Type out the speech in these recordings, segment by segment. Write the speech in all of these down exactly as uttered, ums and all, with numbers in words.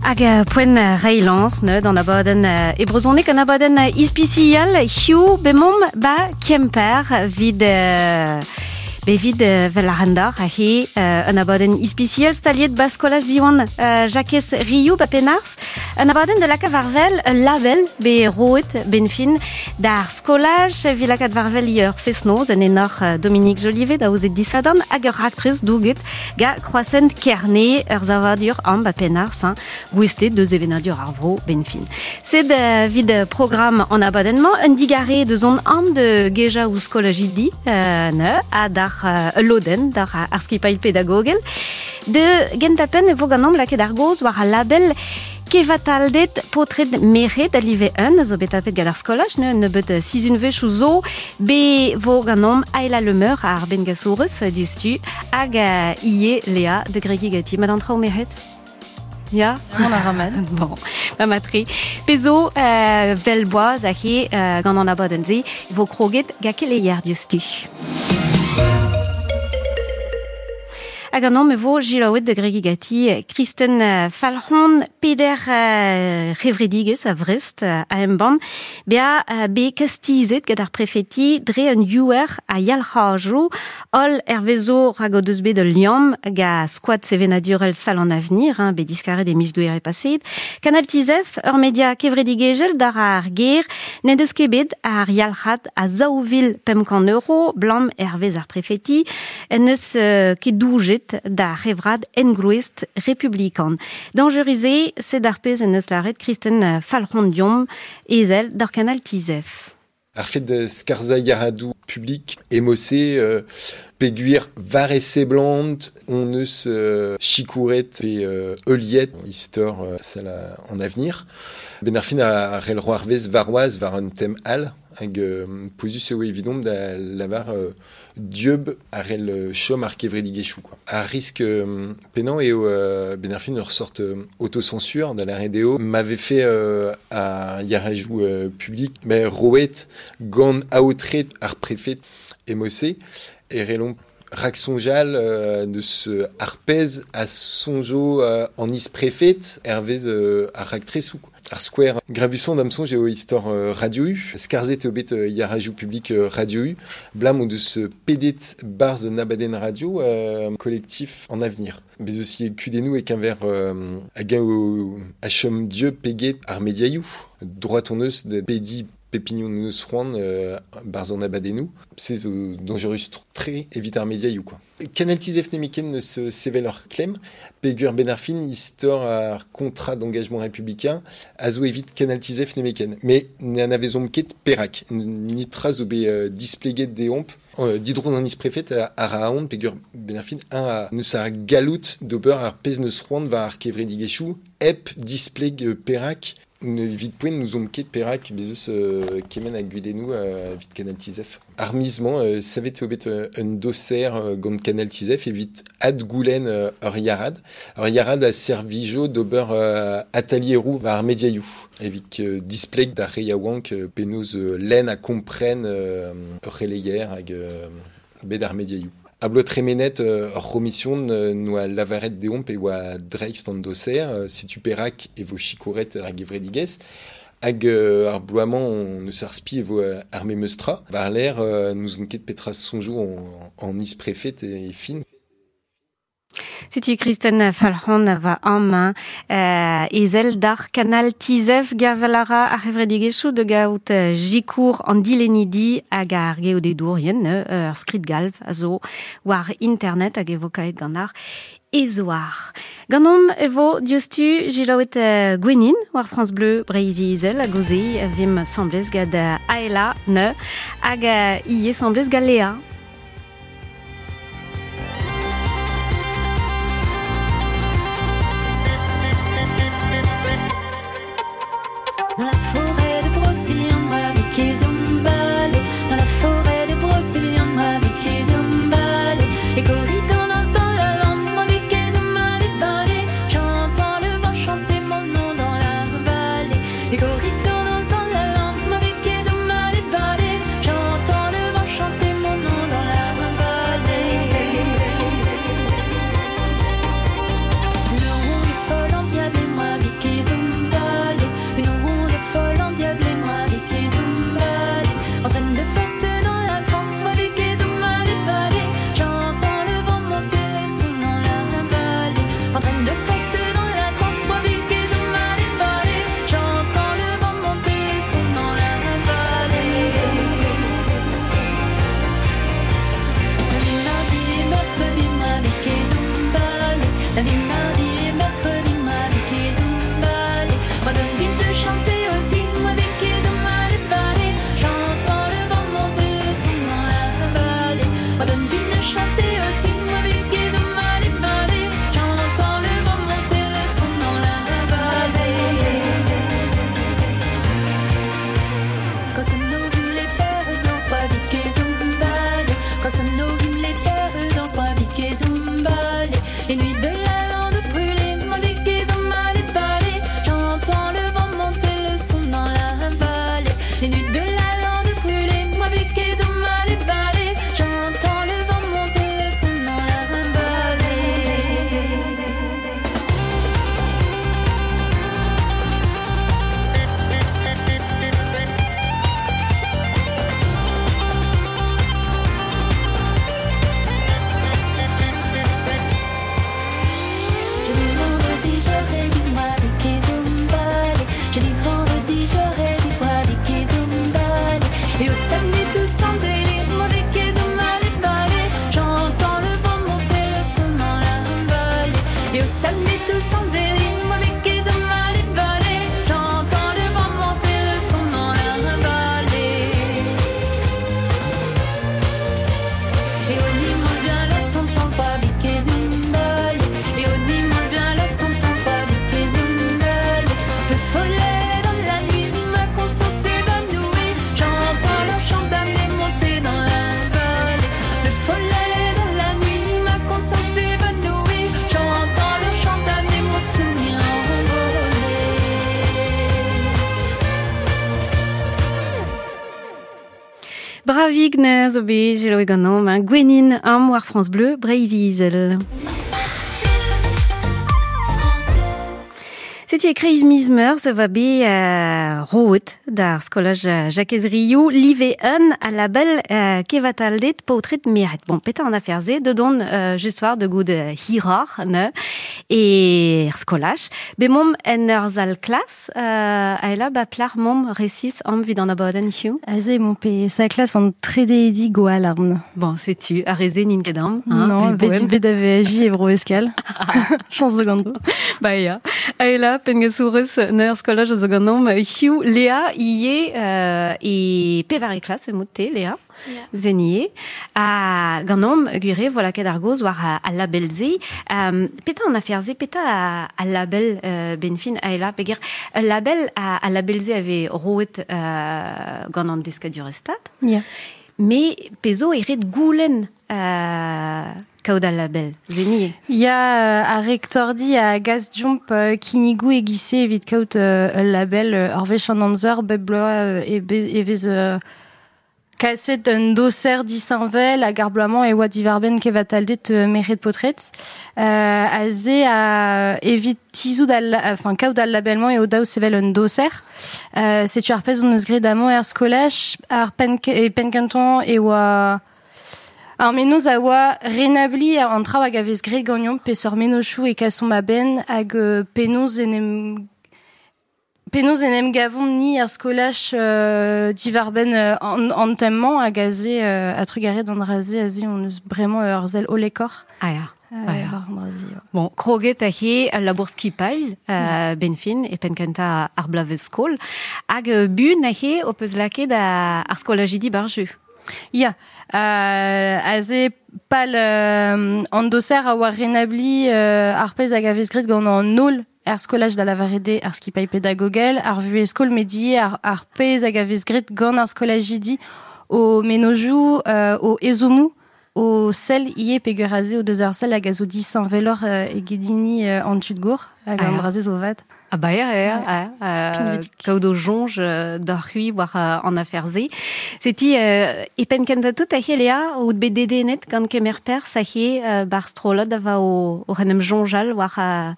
Hag poent reilañs neud an abadenn e brezhoneg an abadenn ispisial hiziv bemomp ba Kemper vid euh, Bevid vel ar rendar a he un abadenn ispisial staliet ba skolaj Diwan euh, Jakez Riou ba Penars un abadenn de laka varvel un label be roet ben fin d'ar skolaj vi lakaat varvel ur fesnoz en enor Dominique Jolivet da ouzet disadan hag ur aktriz douget ga Croissant Kerne ur zavadur am ba Penars hein, gouestet deus evenadur ar vro ben fin. Sed uh, vid programm an abadenn-mañ un digare deus on am de geja ou skolaj idi euh, ne, ha d'ar uh, loden, d'ar ar skipail pedagogel. De gentapen e vo ganom lakaet ar goz war al label kevataldet potred meret a live un, zo bet tapet gant ar skolaj, ne, ne bet sizun vech ou zo, be vo ganom Aela Lemeur ar ben gasourez diustu, hag uh, ie Léa de Gregi gati. Madame Trao meret? Ya, on a ramène. Bon, ma matri. Pezo, euh, velboaz a he euh, gant an abadenn ze, vo kroget ga keleier diustu. Hag an me vo gilaouet de Gregi gati Kristen Falc'hon peder uh, revredigez a Vrest uh, a embann bea uh, be kastizet gant ar prefeti dre un youer a yalc'hajo ol ervezo rag o deus bet ul liamm ga squat sevenadurel sal an avenir hein, be diskaret e miz gouere paset Kanal Tizef ur media kevredigezhel d'ar ar ger n'en deus ket bet ar yalc'had a zaouvil pemp kant euro blam ervez ar prefeti en eus uh, ket doujet da revrad engloest republikan. Dangerisé, c'est d'ar pez en eus laret Kristen Falc'hon diom ezel d'ar kanal Tizef. Ar fet de skarza yaradou public émocé euh, peguir var e blant on eus euh, chikouret pe euh, euliet istor euh, sal en avenir. Ben ar fin a rel roarvez varoaz var un tem al hag euh, pozus eo evidom da lavar euh, dieub a rel chom ar kevredigezhioù quoi. Ar risk euh, penañ eo euh, ben ar fin ur sort euh, autocensure da la R D O m'avait fait euh, a yarajou euh, public mais roet gant aotret ar préfet émocé e relon rak sonjal euh, deus ar pez a sonjo euh, an is préfet hervez euh, ar raktresou quoi. Ar square gravusson dam sonj eo istor euh, radio U, skarzet eo bet euh, yarajou public euh, radio U, blam o deus pedet barz nabaden radio euh, collectif en avenir. Bez aussi kudennou e keñver euh, hag o a chom dieu peget ar mediaioù. Droit on eus de pedi pepignon neus c'hoant euh, barz an abadennou. Se zo dangerus tre evit ar mediaioù quoi. Kanal Tizef nemiken neus sevel ur klemm, peogwir ben ar fin istor ar contrat d'engagement républicain a zo evit Kanal Tizef nemeken. Mais ne anavezomp ket perak. Nitra zo bet euh, displeget deomp euh, didron an is-prefet a, a raon peogwir ben ar fin un a neus ar galout d'ober ar pezh neus c'hoant war ar kevredigezhioù hep displeg euh, perak ne evit poent n'ouzomp ket perak bez eus euh, kement a gudennoù euh, evit Kanal Tizef. Ar miz-mañ euh, savet eo bet euh, un doser euh, gant Kanal Tizef evit adgoulenn euh, ur yarad. Ur yarad a servijo d'ober euh, atelieroù war ar mediaioù. Evit euh, displeg d'ar re yaouank euh, penaos euh, lenn a kompren euh, ur c'heleier hag euh, bet ar mediaioù. A bloaz tremenet euh, ur c'homision euh, noa lavaret deomp e oa dreist an doser, euh, setu perak e vo chikouret ar gevredigezh, hag euh, ar bloaz-mañ on eus ar spi e vo euh, ar memeus tra. War l'air euh, n'ouzon ket petra soñjoù en, en is-prefet e fin. Setu Kristen Falc'hon va amañ euh, ezel d'ar kanal Tizef gervel a ra ar c'hevredigezhioù de gaout euh, jikour an dilennidi hag ar geodedourien euh, ur skrid galv a zo war internet hag e vo kaet gant ar ezoar. Ganomp e vo diouzhtu gilaouet euh, Gwenin war France Bleu Breizh Izel hag oze vim semblez gant Aela ne hag euh, ie semblez gant Léa. Dans la forêt de Brocéliande, avec les emballés. Dans la forêt de Brocéliande, avec les emballés. Les corrigans dansent dans la lampe, avec les emballés. J'entends le vent chanter mon nom dans la vallée. Les corrigans dansent dans la lampe, avec les emballés. J'entends le vent chanter mon nom dans nuit tout son délit. Moi avec les hommes à les j'entends le vent monter le son dans la vallée. Et au dimanche bien la sentence pas avec les hommes. Et au dimanche bien la sentence pas avec les hommes. Feu follet dans la nuit, ma conscience s'évanouit. J'entends le chant d'amener monter dans la vallée. Feu follet dans la nuit, ma conscience s'évanouit. J'entends le chant d'amener mon souvenir envolé. Bravig ne zo bet gelo ganom, hein, Gwenin am war France Bleu, Breizh-Izel. Setu e kreiz miz meurzh va bet euh, roet d'ar skolaj Jacques Riou, live un a label euh, kevataldet paotret miret. Bon, peta an aferze, de don euh, just war de goud hirar, ne, e ar skolaj. Be mom en ur zal klas, euh, aela ba plar mom resis am vid an abadenn hiziv. Aze mon pe sa klas an trede goalarn. Bon, setu, ar reze nin ket am. Hein, non, bet bet ave agi e bro eskal. Chance de gando. Ba ya. Aela, pengesourez neur skolaj a zo ganom hiziv Léa ie euh, e pevare klas e mout-te, Léa. Yeah. Zenie. A ganom gwire voilà ket ar goz war a, a label ze. Um, peta an afer ze, peta a, a label euh, benfin aela peger ul label a, a label ze ave roet euh, gant an deskadur stat. Yeah. Me pezo e ret goulen euh, kaout al label. Zenie. Ya euh, a rektordi a gaz jump euh, kinigou e gise evit kaout euh, ul label euh, ar wech an amzer bep bloaz euh, e, be, e vez euh, kaset un doser disanvel hag ar bloaz-mañ e oa divarbenn kevataldet euh, meret potret. Euh, a ze a evit tizout al, enfin kaout al labelmañ eo daou sevel un doser. Euh, setu ar pezh on eus graet amañ er skolaj, ar pen, e penn-kentañ e oa Ar menoz a oa renabli an traoù hag a vez graet ganeomp peseurt mennozhioù e kasomp a-benn hag euh, penaos en em penaos en em gavomp ni ar skolaj euh, divarbenn euh, an, an tem-mañ hag aze euh, a trugarez d'an dra-se aze on eus bremañ ur sell hollekoc'h. Ah ya. Euh, Ah ya. war an dra-se, ouais. Bon, kroget a he al labour skipail, euh, benfin, e penn-kentañ ar blavez skol, hag euh, bun a he o peus lakaet a, ar skolajidi barju. Ya, euh, aze pal euh, an doser a oa renabli euh, ar pezh hag a vez graet gant an holl er skolaj da lavarede ar skipailh pedagogel, ar vuhez skol medie ar, ar pezh hag a vez graet gant ar skolajidi o menozioù, euh, o ezhommoù, o sell ie peger aze o deus ar sell hag a zo disheñveloc'h euh, egedini euh, an tud gour hag Ah an ya. dra-se zo vat. Ah ba ya, ya, Ouais. ya, euh, Pinvidik. kaout o soñj euh, d'ar c'hwi war euh, an afer-se. Seti euh, e penn kentañ tout a he Léa, out bet dedennet gant kemer perzh a he euh, bar strollad a va o, o ren em soñjal war, euh,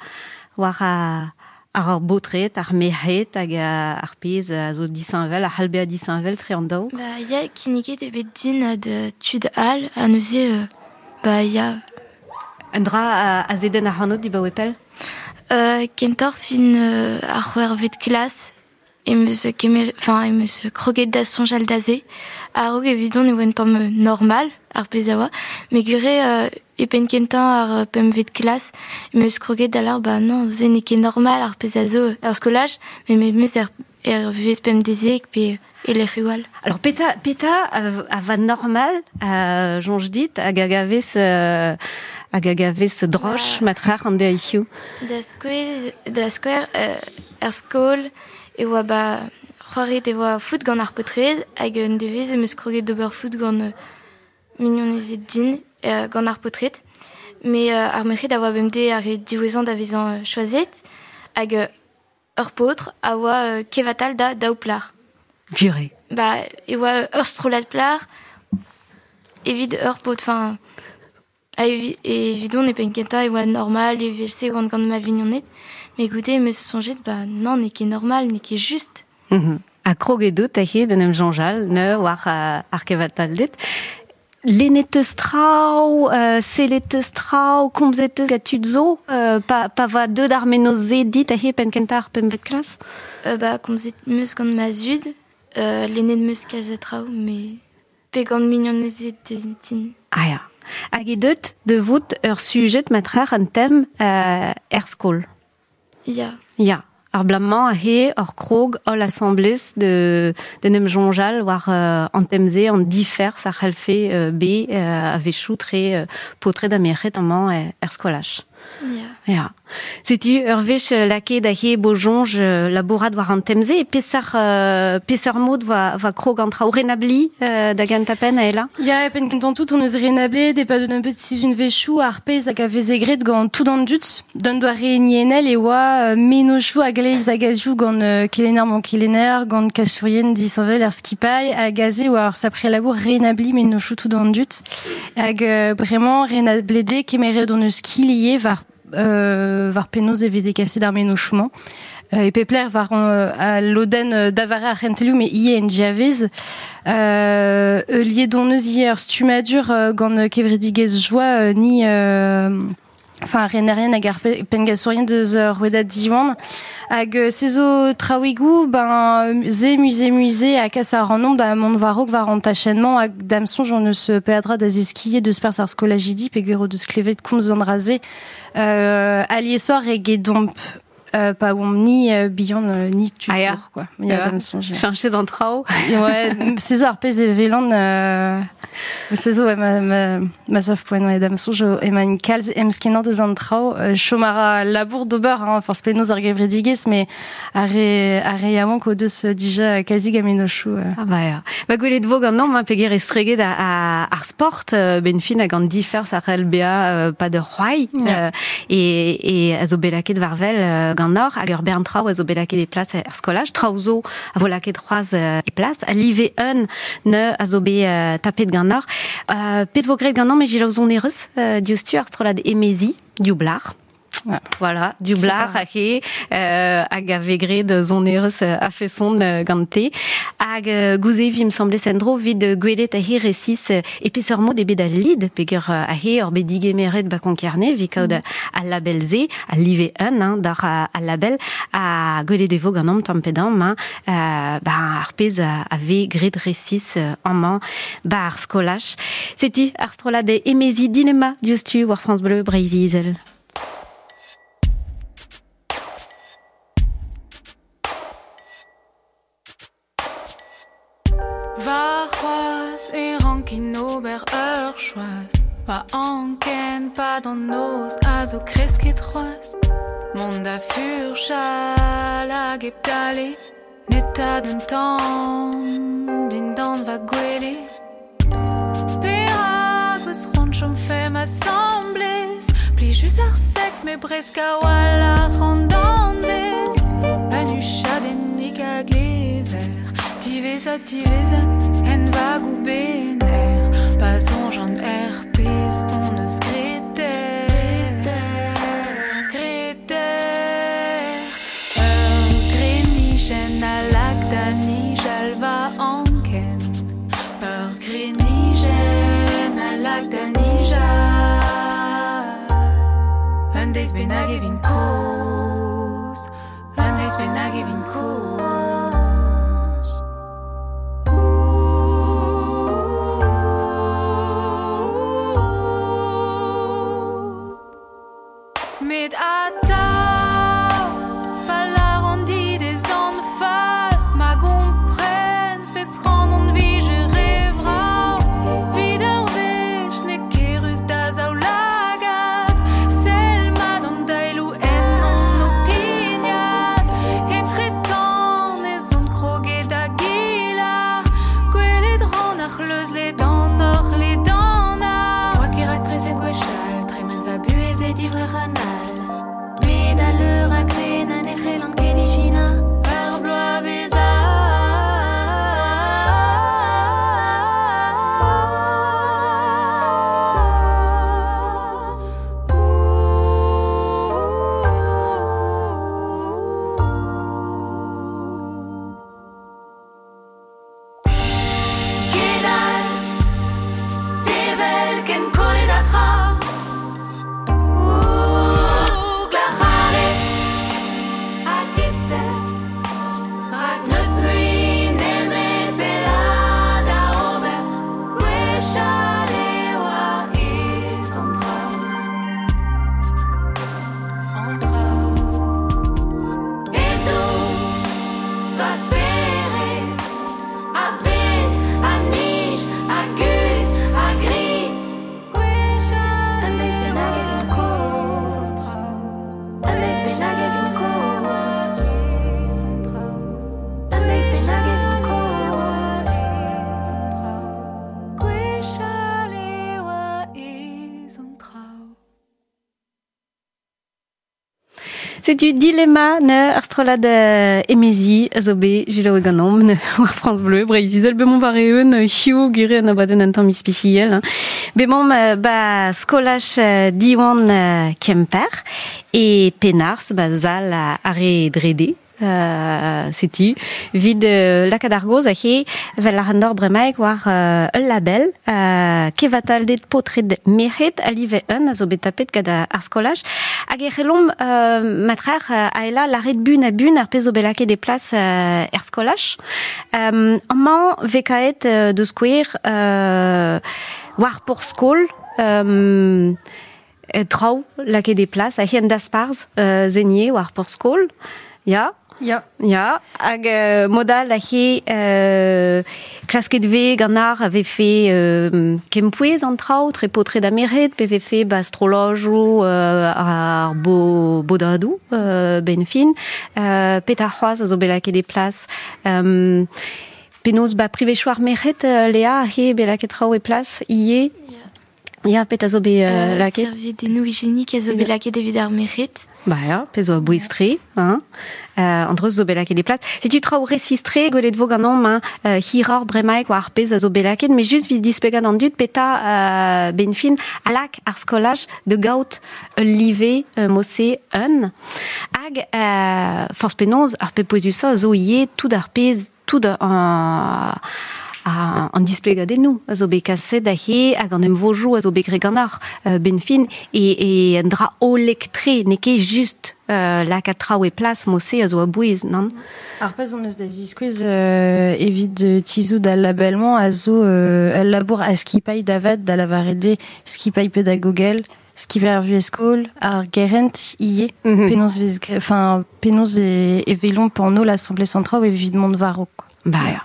war euh, ar ar baotred, ar merc'hed hag euh, ar pezh a zo disheñvel, ar c'hall bezañ disheñvel tre an daou. Ba ya, kinniget e bet din ad tud all, ha neuze, euh, ba ya. Un dra a, a zeden ac'hanot dibaoe pell? Euh, kentoc'h fin euh, ar c'hwec'hvet klas, em eus kemer, enfin, em eus kroget da soñjal da se. A-raok evidon e oa un tamm normal, ar pezh a oa, met gwir euh, e penn kentañ ar pempvet klas, em eus kroget da lar, ba non, se n'eo ket normal ar pezh a zo er skolaj, met me meus er, er vuhez pemdeziek pe e lec'hioù all. Alors, peta, peta a, a va normal, euh, soñj dit, hag hag a vez, euh, hag hag a vez droch matrar an deiz hiziv. Da skouer, da skouer euh, er skol e oa ba c'hoariet e oa foot gant ar paotred hag un devezh em eus kroget d'ober foot gant euh, mignonezed din euh, gant ar paotred. Mais euh, ar merc'hed a oa bemdez ar re diwezhañ da vezañ euh, choazet hag euh, ur paotr a oa euh, kevatal da daou plar. Gure. Ba e oa ur strollad plar evit ur paotr, enfin ha evi, evidon e penn kentañ e oa normal evel-se oan gant ma vignoned. Mais écoutez, me soñjet, ba non, n'eo ket normal, n'eo ket just. Mm-hmm. Ha kroget out a he d'en em soñjal, ne war euh, ar kevataldet. Lennet eus traoù, euh, sellet eus traoù, komzet eus gant tud zo, euh, pa, pa va deut ar menoz-se dit a he penn kentañ ar pempvet klas? Euh, ba, komzet meus gant ma zud, euh, lennet meus kalz a traoù, mais pe gant mignonezed din. Ah ya. Hag e deut de vout ur sujet matrar an tem euh, er skol. Ya. Ya. Ar blammañ a he ur krog holl assemblez de, de nem jonjal war euh, an temze an difer sa c'hellfe euh, be euh, a vechou tre euh, potred a merc'hed amañ er, er skolaj. Ya. Ya. Setu ur wech lakaet da he bo jonj labourat war an temze e peseurt euh, peseurt mod va, va krog an traoù renabli euh, da gentañ-penn a ela? Ya, e penn kentañ tout on eus renablet de pa un petit sizhun vechou ar pezh hag a veze graet gant tout an dud d'un doare nienel e oa euh, menochou hag leiz hag azioù gant euh, kelenner mon kelenner gant kasourien disheñvel ar skipailh hag aze oa ur sapre labour renabli menochou tout an dud hag euh, bremañ renablede kemeret on eus kilie war euh, war penaos e veze kaset ar menochou-mañ. Euh, e pepler war euh, a lodenn euh, davare ar c'hentelioù me ie en diavez. Euh, liet don eus ie ur stumadur euh, gant kevredigezh joa euh, ni euh, enfin renerien hag ar pengasourien deus ur rouedad Diwan hag euh, se zo traouigoù ben ze musée musée a kas ar an da mont warok war an tachennement hag dam sonj on eus peadra da zeskier deus pers ar skolajidi peogwir deus klevet komz an raze euh, aliesoc'h eget domp euh, pa oamp ni euh, bihan euh, ni tu Ah ya. quoi. Ya, Ya. dam sonj. Cheñchet an traoù. Ouais, se zo ar pezh e velan euh, se zo ouais, ma, ma, ma sav poent ouais, dam sonj emañ kalz emskenañ deus an traoù euh, chom a ra labour d'ober hein, forzh penaos ar gevredigezh mais ar re, ar re yaouank o deus dija kazi gamenochoù euh. Ah ba ya. Ba gwelet vo gant namm, hein, peger estreget a, a, ar sport euh, ben fin hag an difer sa c'hell bea euh, pa de c'hoai Ya. euh, e, e a zo bet lakaet war-wel euh, gant nor hag ur bern traoù a zo bet lakaet e plas er skolaj traoù zo a vo lakaet c'hoazh euh, e plas a live un ne a zo bet euh, tapet gant nor euh, pezh vo graet gant namm e jilaou zonerez euh, diouzhtu ar strollad emezi dioublar. Ouais. Voilà, dioublar hag e euh, hag a vez graet zonerez euh, a feson euh, gante hag euh, gouze vi me semblait sendro vid euh, gwelet a he resis euh, e peseurt mod ebet al lid peogwir euh, a he ur bet digemeret ba Konk-Kerne vi kaout mm. al label ze al live un hein, d'ar a, al label a gwelet e vo gant am tamm pe damm hein, euh, ba ar pezh a, a vez graet resis euh, amañ ba ar skolaj. Setu ar strollad emezi dilemma diouzhtu war France Bleu Breizh Izel. Va c'hoazh e rankin ober ur choaz Va anken pa d'an noz a zo kresket c'hoazh Mont da furchal hag hep dale Neta d'un tamm dindan va gwele Perak eus c'hoant chom fem asamblez Plijus ar seks me bresk a-walc'h an danvez Un huchadennig a glever Divezat, divezat, en vag ou bener Pa soñj an er pezh on eus graet Graet Ur grenijenn a lak da nijal va anken Ur grenijenn a lak da nijal Un deiz bennak e vin kozh Un deiz bennak e vin kozh Met atav pa lâran dit ez an fall Ma gompren fes ran on vije re vrav Vid ur wech n'eo ket ruz da zaoulagad Sell mat an daeloù en on o pignat Etretant Setu dilema ne ar strolad euh, emezi a zo bet jilaou ganomp ne war France Bleu, Breizh Izel bemont war eeun hiu gure an abadenn an tamm ispiciel. Hein. Bemont euh, ba skolaj euh, Diwan euh, Kemper e Penars ba zal a are drede. Euh, setu vid euh, lakaat ar goz a he vel ar an bremaik war euh, ul label euh, kevataldet potred merc'hed a live un a zo bet tapet gant ar skolaj hag e c'hellomp euh, matrer euh, a ela laret bun a bun ar pezh zo bet lakaet e plas euh, er skolaj. Euh, amañ vekaet euh, deus skouer euh, war por skol euh, traoù lakaet e plas a he an dasparz euh, zenier war por skol. Ya. Ya. Ya, hag euh, modal a he euh, klasket ve gant ar a vefe euh, kempouez an traoù, tre potred ameret, pe vefe ba astrolojou euh, ar bo, bodadou euh, ben fin, euh, pet ar c'hoaz a zo bet lakaet e plas. Euh, penaos ba privechoù ar merc'hed, euh, Léa, a he bet lakaet traoù e plas, ie. Ya. Ya, pet a zo bet euh, Euh, lakaet. Serviedennoù hygiénique a zo bet lakaet evit ar merc'hed. Ba ya, pezh zo a bouez-tre, hein. Euh, an dreuz zo bet lakaet e plas. Setu traoù resistre, gwelet vo ganeomp, hein, euh, hiroc'h bremaik war ar pezh a zo bet lakaet, met just 'vit displegañ an dud peta euh, ben fin a lak ar skolaj de gaout ul live euh, mose un. Hag euh, forzh penaos ar pep pouezusañ a zo ivez tout ar pezh, tout an, a, an displegadennoù a zo bet kaset aze hag an emvojoù a zo bet graet gant ar euh, ben fin e, e un dra hollek-tre, n'eo ket just euh, lakaat traoù e plas mose a zo a bouez, nann? Ar pezh hon eus da ziskouez euh, evit euh, tizhout al label-mañ a zo euh, al labour a skipailh davat da lavaret eo skipailh pedagogel, skipailh ar vuhez-skol, ar gerent ivez, Mm -hmm. penaos vez gre-, enfin, penaos e, e velomp an holl asambles an traoù evit mont war-raok. Ba ya.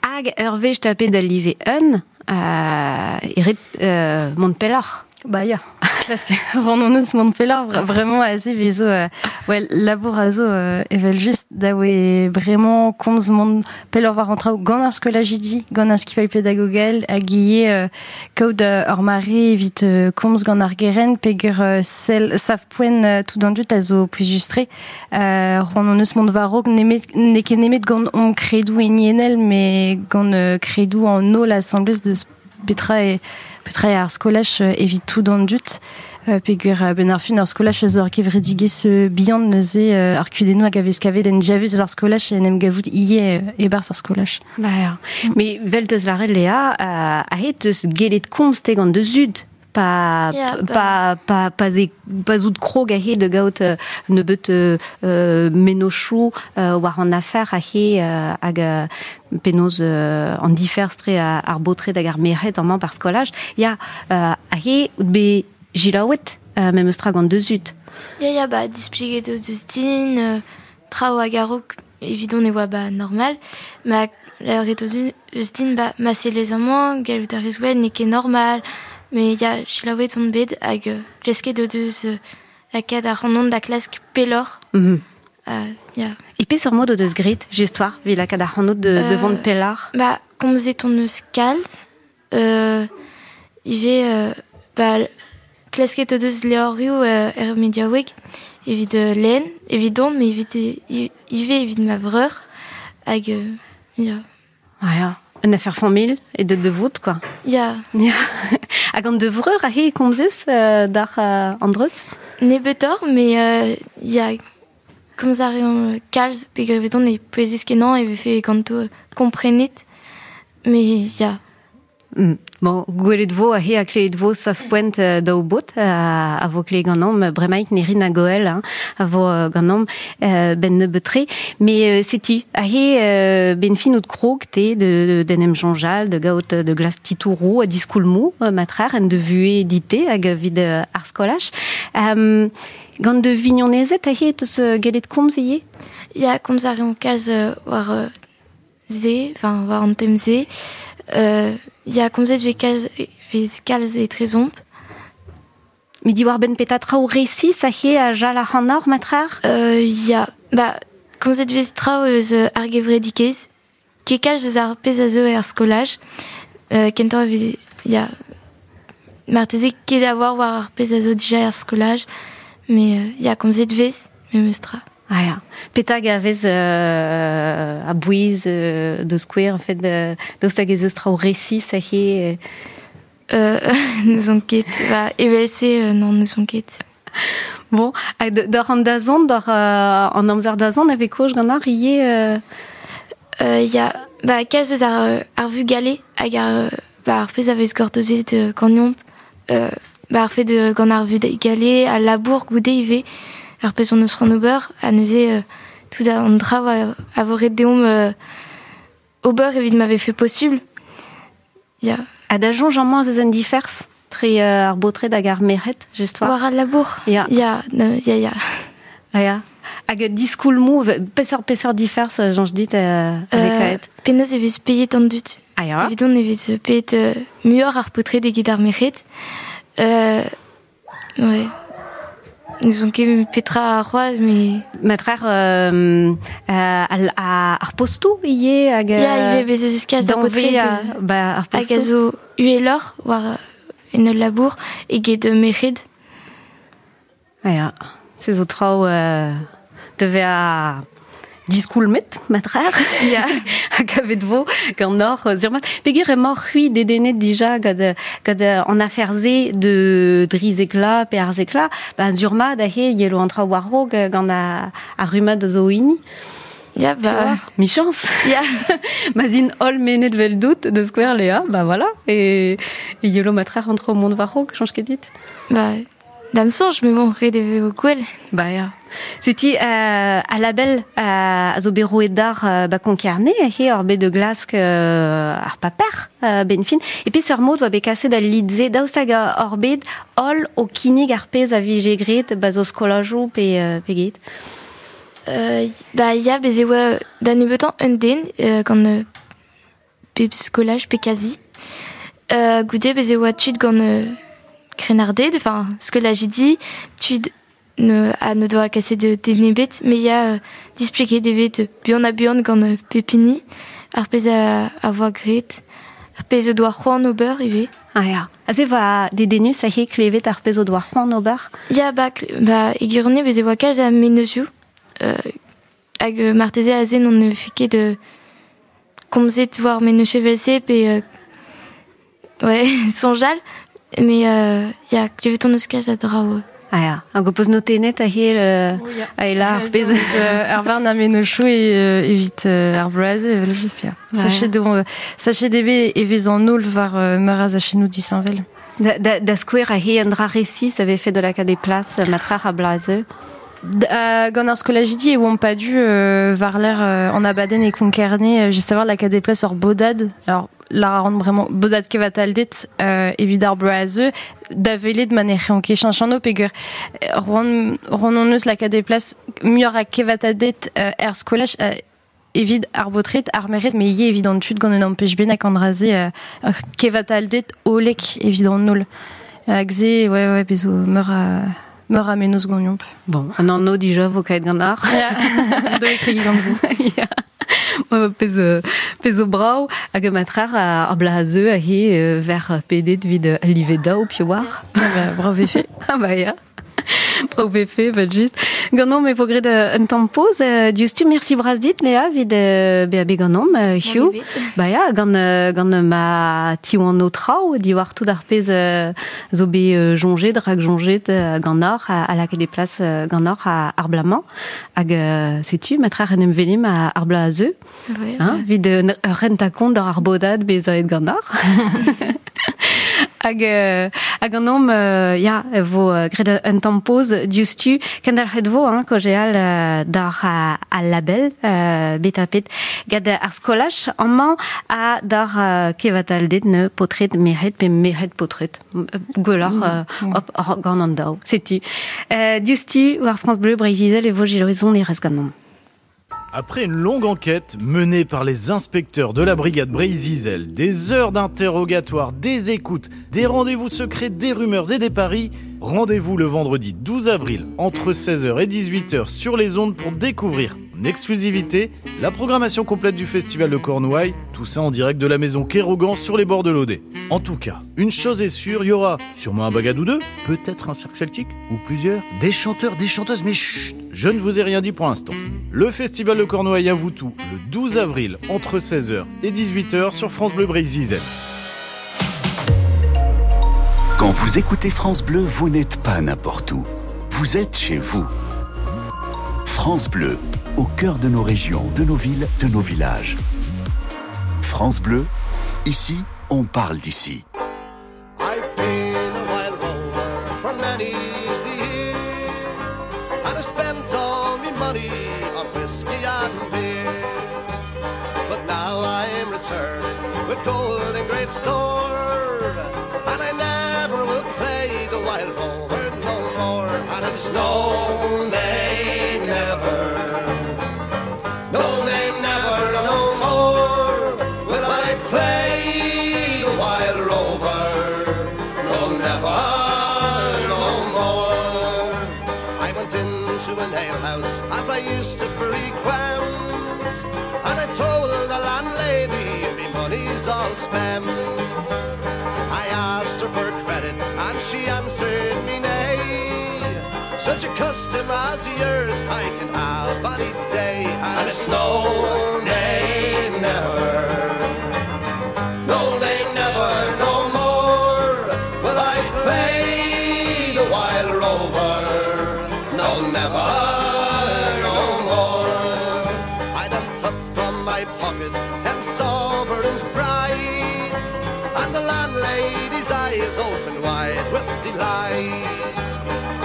Hag ur wech tapet al live un, euh, eret euh, mont pelloc'h. Ba ya. Parce que ran hon eus mont pelloc'h, vra-, vraiment aze vezo, euh, ouais, labour a zo, euh, evel just da oe vraiment komz mont pelloc'h war an traoù gant ar skolajidi, gant ar skipailh pedagogel, hag ivez, euh, kaout, euh, ur mare evit, euh, komz gant ar gerent peger, euh, sell, sav-poent, euh, tout an dud a zo pouezus-tre. Euh, ran hon eus mont war-raok nemet, n'eo ket nemet gant hon kredoù hiniennel, met gant, euh, kredoù an holl asambles deus petra e, petra eo ar skolaj, euh, evit tout an dud. Euh, peogwir, euh, ben ar fin ar skolaj a zo ar kevredigezh, euh, bihan neuze, euh, ar kudennoù hag a vez kavet en diavez eus ar skolaj en em gavout ivez, euh, e-barzh ar skolaj. Ba ya. Met 'vel teus lâret Léa, euh, aze teus gellet komz te gant da zud. Pa, Ya, pa, pa, pa, pa ze, pa zout krog aze da gaout, euh, nebeut, euh, euh, mennozhioù, euh, war an afer aze, euh, hag, euh, penaos, euh, an diferz tre a, ar baotred hag ar merc'hed amañ bar skolaj. Ya, euh, aze out bet jilaouet, euh, memes tra gant da zud. Ya, ya, ba, displeget o deus din, euh, traoù hag a-raok evidon e oa ba normal, ma lavaret o deus din, ba, ma sellez amañ, gallout a rez gwell, n'eo ket normal, mais ya, selaouet on bet hag, euh, klasket o deus, euh, lakaat ar c'hanon da klask pelloc'h. Mm -hmm. Euh, ya. E peseurt mod o deus graet, just war, evit lakaat ar c'hanod de, de Euh, vont pelloc'h? Ba, komzet on eus kalz, euh, ivez, euh, ba, klasket o deus levrioù, euh, er mediaoueg, evit, euh, lenn, evidon, mais evit, e, ivez evit ma vreur, hag, euh, ya. Ah ya, un affaire famille et de, de vout, quoi. Ya. Ya. Hag an de vreur a he komzez, euh, d'ar, euh, an dreuz? Nebeutoc'h, mais, euh, ya, komz a reomp kalz, peogwir evidon e pouezus kenañ e vefe ganto, euh, komprenet, mais ya. Mm. Bon, gwelet vo a he a klevet vo sav-poent, euh, daou bot, euh, a vo klevet ganeomp, bremaik Nerin ha Goel, hein, a vo, euh, ganeomp, euh, ben nebeut-tre. Mais, euh, setu, a he, euh, ben fin out krog te de, de, d'en em soñjal, de gaout de glas titourou, a diskoulmou, euh, matrer, en de vue dite hag vid, euh, ar skolaj. Euh, gant de vignonezed a he teus, euh, gellet komz ivez? Ya, komz a reomp kalz, euh, war, euh, ze, enfin, war an tem ze. Euh, ya, komzet vez kalz, vez kalz etrezomp. Met diwar benn petra traoù resis a he a jal ar c'hanoc'h, matrer? Euh, ya, ba, komzet vez traoù eus, euh, ar gevredigezh, ket kalz eus ar pezh a zo er skolaj. Euh, kentoc'h e vez, ya, marteze ket a oar war ar pezh a zo dija er skolaj, mais, euh, ya, komzet vez, memestra. Ah ya. Petag a vez euh, a bouez euh, de square en fait de daoust hag ez eus traoù resis a he euh, n'eus ket ba evel-se euh, non n'eus ket. Bon, hag d'ar an dazont d'ar euh, an amzer dazont ave koch gant ar ivez euh... Euh, ya ba kalz eus ar, ar vugale hag ar ba ar pezh a vez gortozet euh, ganeomp euh, ba ar fait de gant ar vugale a labour goude ivez ar pezh on eus ran ober a neuze euh, tout an dra a, a vo ret deomp euh, ober evit ma vefe possible. Ya. Ha da soñj amañ eus un diferz tre euh, ar baotred hag ar merc'hed, just war. War al labour. Ya. Ya, no, ya, ya. Ah, ya. Hag diskoulmoù, peseurt peseurt diferz, soñj dit, euh, euh, penaos e vez peiet an dud. Ah, ya. Evidon e vez peiet euh, muioc'h ar paotred eget ar merc'hed. Euh, ouais. N'eus ket petra ar c'hoazh, mais... Matrer euh, euh, al, a, ar postou ivez hag... Ya, ivez bez ez eus kalz a baotred ba, ar postou. Hag a zo uheloc'h war en ul labour eget merc'hed. Ah ya, se zo traoù euh, devez a diskoulmet, matrer. Ya. Hag avet vo gant or surmat. Peogwir emañ c'hwi dedennet dija gant, gant an afer-se de drizekla pe ar zekla, ba surmat ahe yelo an traoù war-raok gant ar, ar rummad zo hini. Ya, ba... Michans. Ya. Ma zin holl menet vel dout de skouer Léa, ba voilà. E, e yelo matrer an traoù mont war-raok, chañj ket dit. Ba... Dam soñj, mais bon, ret e vo gwell. Ba ya. Setu euh, a label euh, a zo bet roet d'ar euh, ba Konkarne, he ur bet de glask euh, ar paper euh, ben fin. E peseurt mod oa bet kaset al lidze daoust hag ur bet holl o kinnig ar pezh a vije graet ba zo skolajoù pe, euh, pe get. Euh, ba ya, bez e oa da nebeutañ un den euh, gant euh, pep skolaj pe kazi. Euh, goude bez e oa tud gant euh, krennarded, enfin, skolajidi, tud ne, a ne doa kaset de denebet, mais ya euh, displeget evet buan a buan gant euh, pepini, ar pezh a, a voa graet, ar pezh o doa c'hoant ober ivez. Ah ya. Aze va dedennus a he klevet ar pezh o doa c'hoant ober? Ya, ba, ba e gwirionez bez e oa kalz a mennozioù, euh, hag euh, marteze aze n'on ne fait ket de komzet war mennozioù evel-se pe euh, ouais, soñjal. Mais euh, ya, klevet on eus kalz a draoù. Ah ya, hag o peus notenet a he euh, a ela ar pezh. Ar varn a mennozioù e evit ar bloaz evel just ya. Sachet de sachet debe e vez an holl war meur a zachennoù disheñvel. Da, da, da skouer a he un dra resis avait fait de la des places matrer a blaze. Euh, gant ar skolajidi e oamp pa du euh, war l'air euh, an abadenn e Konkarne, just a war la des places ur bodad. Alors la rend vraiment bodad kevataldet euh, evit ar bloaz da velet ma ne c'hean ket cheñch peogwir roan roan on eus lakaat e plas muioc'h a kevataldet euh, er skolaj euh, evit ar baotred ar merc'hed mais ivez evit an tud gant un ampech bennak an dra-se euh, kevataldet hollek evit an holl. Hag se, ouais, ouais, bez zo meur a meur a mennozh ganeomp. Bon, an anv dija vo kaet gant ar. Do e kregi gant se. Ya. Pezh pezh zo brav hag matrer ar blazeu a he ver pedet vid al livet daou piv war. Ba, brav vefe. Ah ba ya. Brav vefe, vel just. Ganeomp e vo graet un tamm poz. Diouzhtu, merci bras dit, Léa, vid bezañ bet ganeomp, Hugh. Ba ya, gant, gant ma tiwan o traoù, diwar tout ar pezh zo bet soñjet, rak soñjet gant ar, a lakaet e plas gant ar ar blamañ. Hag setu, matrer en em velim ar blazeu. Hein, vid renta kont d'ar ar bodad bezañ gant ar. Hag, euh, hag an om, euh, ya, vo euh, graet un tamm poz diouzhtu, kendalc'het vo, hein, kaozeal euh, d'ar a, a label, euh, bet a pet, gant ar skolaj amañ a d'ar euh, kevataldet ne paotred merc'hed pe merc'hed paotred. Gwelloc'h, euh, hop, gant an daou. Setu. Euh, diouzhtu, war France Bleu, Breizh-Izel e vo Gilles e rez gant omp. Après une longue enquête menée par les inspecteurs de la brigade Breizh-Izel, des heures d'interrogatoire, des écoutes, des rendez-vous secrets, des rumeurs et des paris, rendez-vous le vendredi douze avril entre seize heures et dix-huit heures sur les ondes pour découvrir En exclusivité, la programmation complète du Festival de Cornouailles, tout ça en direct de la maison Kérogan sur les bords de l'Odet. En tout cas, une chose est sûre, il y aura sûrement un bagad ou deux, peut-être un cirque celtique, ou plusieurs, des chanteurs, des chanteuses, mais chut, je ne vous ai rien dit pour l'instant. Le Festival de Cornouailles à Voutou, le douze avril, entre seize heures et dix-huit heures sur France Bleu Breizh-Izel. Quand vous écoutez France Bleu, vous n'êtes pas n'importe où. Vous êtes chez vous. France Bleu, au cœur de nos régions, de nos villes, de nos villages. France Bleu, ici, on parle d'ici. I've been a wild rover for many's the year, and I spent all me money on whiskey and beer. But now I'm returning with gold in great store, and I never will play the wild rover no more. And it's no, nay, never, no, nay, never, no more will I play the wild rover, no, never, no more. I went into an alehouse as I used to frequent, and I told the landlady me money's all spent. I asked her for credit and she answered me nay. Such a custom as yours I can have any day. And it's no, nay, never, no, nay, never, no more will I play the wild rover, no, never, no more. I then took from my pocket ten sovereigns bright, and the landlady's eyes opened wide with delight.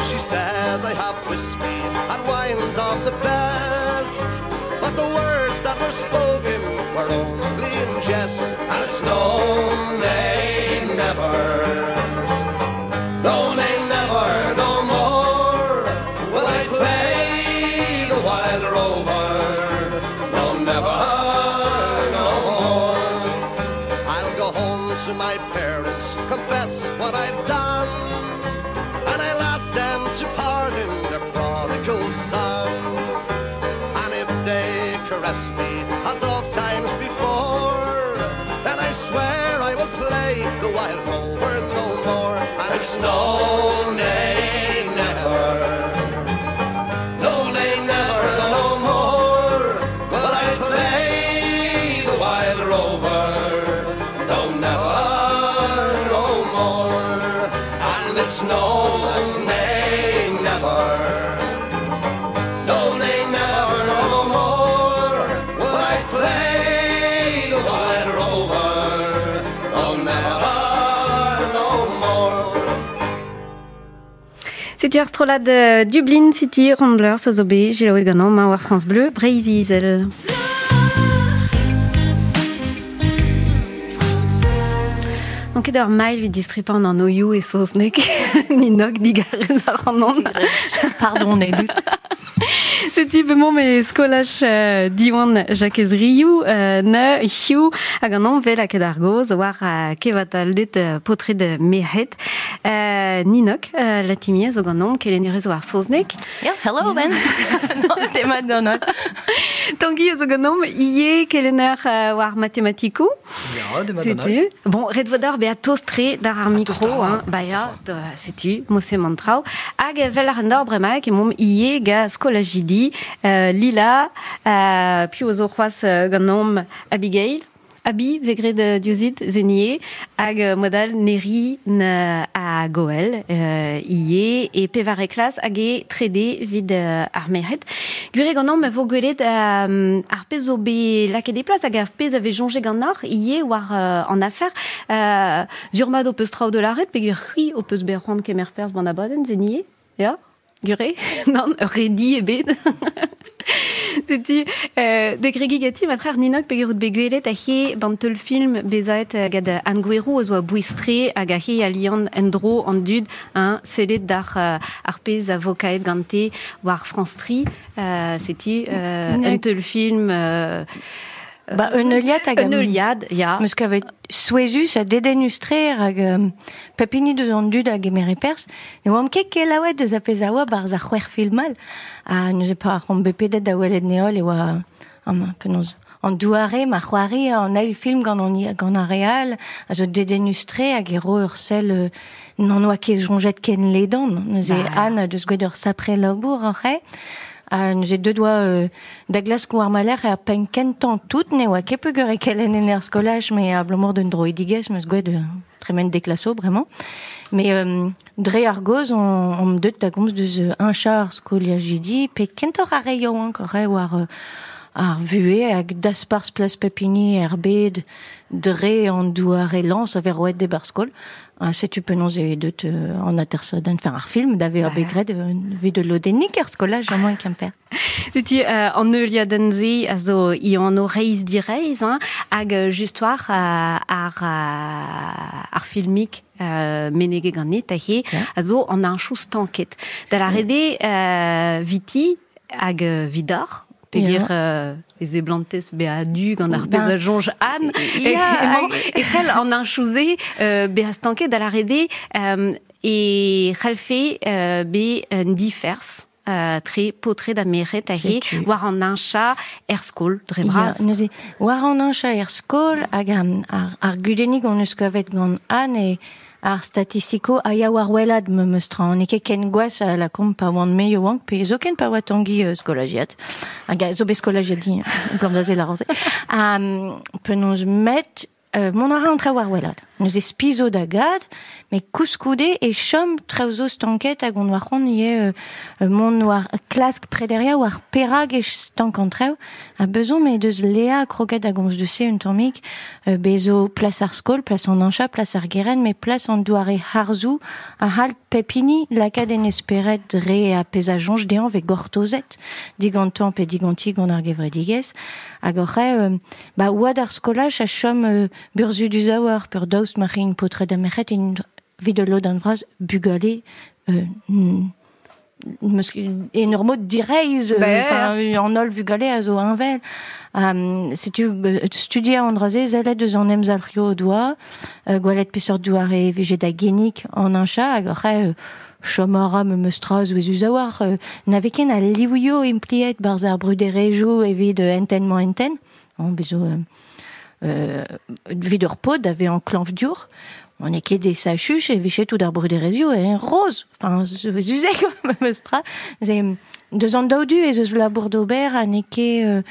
She says I have whiskey and wines of the best, but the words that were spoken were only in jest. And it's no, nay, never, no, nay, never, no more will I play the wild rover, no, never, no more. I'll go home to my parents, confess what I've done, and I'll ask them to pardon their prodigal son. And if they caress me as oft times before, then I swear I will play the wild rover no more. And it's no, nay, never, no, nay, never, no more will I play the wild rover, no, never, no more. And it's no, nay, never, no, nay, never, no more will I play the wild rover, no, never, no more. Setu ar strollad Dublin City Ramblers a zo bet selaouet ganeomp ma war France Bleu Breizh-Izel. Donc ket ur mail evit distripañ an oioù e saozneg, ninok digarez ar an an. Pardon, Elut. Setu bemañ me skolaj euh, Diwan Jakez Riou euh, ne hiziv hag an an vel a ket ar goz war euh, kevataldet euh, paotred merc'hed. Euh, Ninok, euh, Latimier zo ganeomp kelennerez war saozneg. Yeah, hello Ben. Tema donot. Tanguy zo ganeomp ie kelenner euh, war matematikoù. Ya, dema donot. Setu. Bon, ret vo d'ar bezañ tost-tre d'ar ar mikro, hein. Ba ya, setu, mose mantraoù. Hag vel ar an d'ar bremañ emaomp ie ga skolajidi, euh, Lila, euh, piv zo c'hoazh euh, ganeomp Abigail. Abi, vegret euh, diouzit, zenie, hag euh, modal neri na a goel, euh, ie, e pevar e klas hag e trede vid euh, ar merc'hed. Gwir eo ganeomp ma vo gwelet euh, ar pezh zo bet lakaet e plas hag ar pezh a vez soñjet ganeoc'h ie war euh, an afer. Euh, zur mat ho peus traoù de l'arret, peogwir c'hwi ho peus bet c'hoant kemer perzh ban abadenn, zenie, ya? Gure? Nann, ur redi ebet. Setu, euh, de gregi gati, ma trer ninok peogwir out bet gwelet a he ban teul film bezaet gad Anne Gouerou eus oa bouistre hag a he alian endro an dud hein, sellet d'ar euh, ar pezh a vo kaet gante war France tri. Euh, setu, euh, un teul film euh, Ba, un heuliad hag... Un heuliad, ya. Meus kavet souezhus ha dedennus-tre hag um, pep hini deus an dud hag emere pers. Ne oamp ket kelaouet deus a pezh a oa barzh ar c'hwec'h film all. Ha neuze pa ar bepedet da welet neol e oa... Amañ, penaos... An douare ma c'hoari an eil film gant an, gant ar real, a zo dedennus-tre hag e ro ur sell euh, n'an oa ket soñjet ken ledan. Neuze Ba. Anne deus gwet ur sapre labour ar c'he. Ha neuze deut oa euh, da glask war maler ar penn kentañ tout, ne oa ket peogwir e kelenn en er skolaj, me abalamour d'un droidigezh meus gwet euh, tremen deklaso bremañ. Mais euh, dre ar goz, on, on deut da gomz deus euh, un char skoliajidi, pe kentoc'h ar re yaouank ar re war euh, ar vue hag dasparzh plas pepini er bed dre an douar e lañs a vez roet de bar skol. Ha setu penaos e deut euh, an atersadenn, enfin ar film d'ave ar Ba. begred euh, vit de lodennik er skolaj amañ e Kemper. Setu euh, an heuliadenn se a zo i an o reizh direizh, hein, hag euh, just war euh, ar, euh, ar filmik euh, menege ganit ahe, a zo an anchou stanket. Da la rede euh, viti hag euh, vidor, peogwir Ya. euh, ez e blantez be a du gant ar Ben, pezh a soñj Anne, ya, e, emañ, hag- e c'hell an anchou-se euh, bezañ stanket da la rede euh, e c'hellfe euh, be un diferz euh, tre paotred ha merc'hed ahe Setu. war an ancha er skol, dre Ya, bras. neuze, war an ancha er skol hag ar, ar, ar gudennig on eus kavet gant Anne e ar statistiko a ya war welad me meus tra. N'eo ket ken gwazh a la komp pa oan me yaouank, pe zoken pa oa Tangi euh, skolajiad. Hag a zo bet skolajiad di, blam da se la ranze. Um, penaos met, euh, mont a ra an traoù war welad. Neuze spizo da gad, met koulskoude e chom traoù zo stanket hag on war c'hoant ivez euh, mont war klask prederia war perag e stank an traoù. Ha bezo me deus Léa kroget hag on deus se un tammig, euh, bezo plas ar skol, plas an ancha, plas ar geren, met plas an doare harzou a hal pep hini lakaat en esperet dre a pezh a soñj dezhañ ve gortozet digantañ pe diganti gant ar gevredigezh. Hag oc'h eo, euh, ba oad ar skolaj a chom euh, burzhudus a war, peur daoust ma c'hin paotred ha merc'hed int evit ul lodenn vras bugale euh, mm, meus ket en ur mod direizh, euh, Ba, enfin, an holl vugale a zo heñvel. Um, setu euh, studiañ an dra-se, sellet eus an emzalc'hioù o doa, euh, gwelet peseurt doare vije da gennig an ancha, hag oc'h eo, euh, chom a ra meus tra souezhus a war, euh, n'ave ken a liouio impliet barzh ar bruderezhioù evit euh, enten-mañ enten. An bezo euh, euh, evit ur paotr ave an klañvdiour. On e ket des sachuch e vije tout ar bruderezhioù e roz. Enfin, souezhus eo, meus tra. Ze, deus an daou du ez eus labour d'ober ha n'eo ket euh,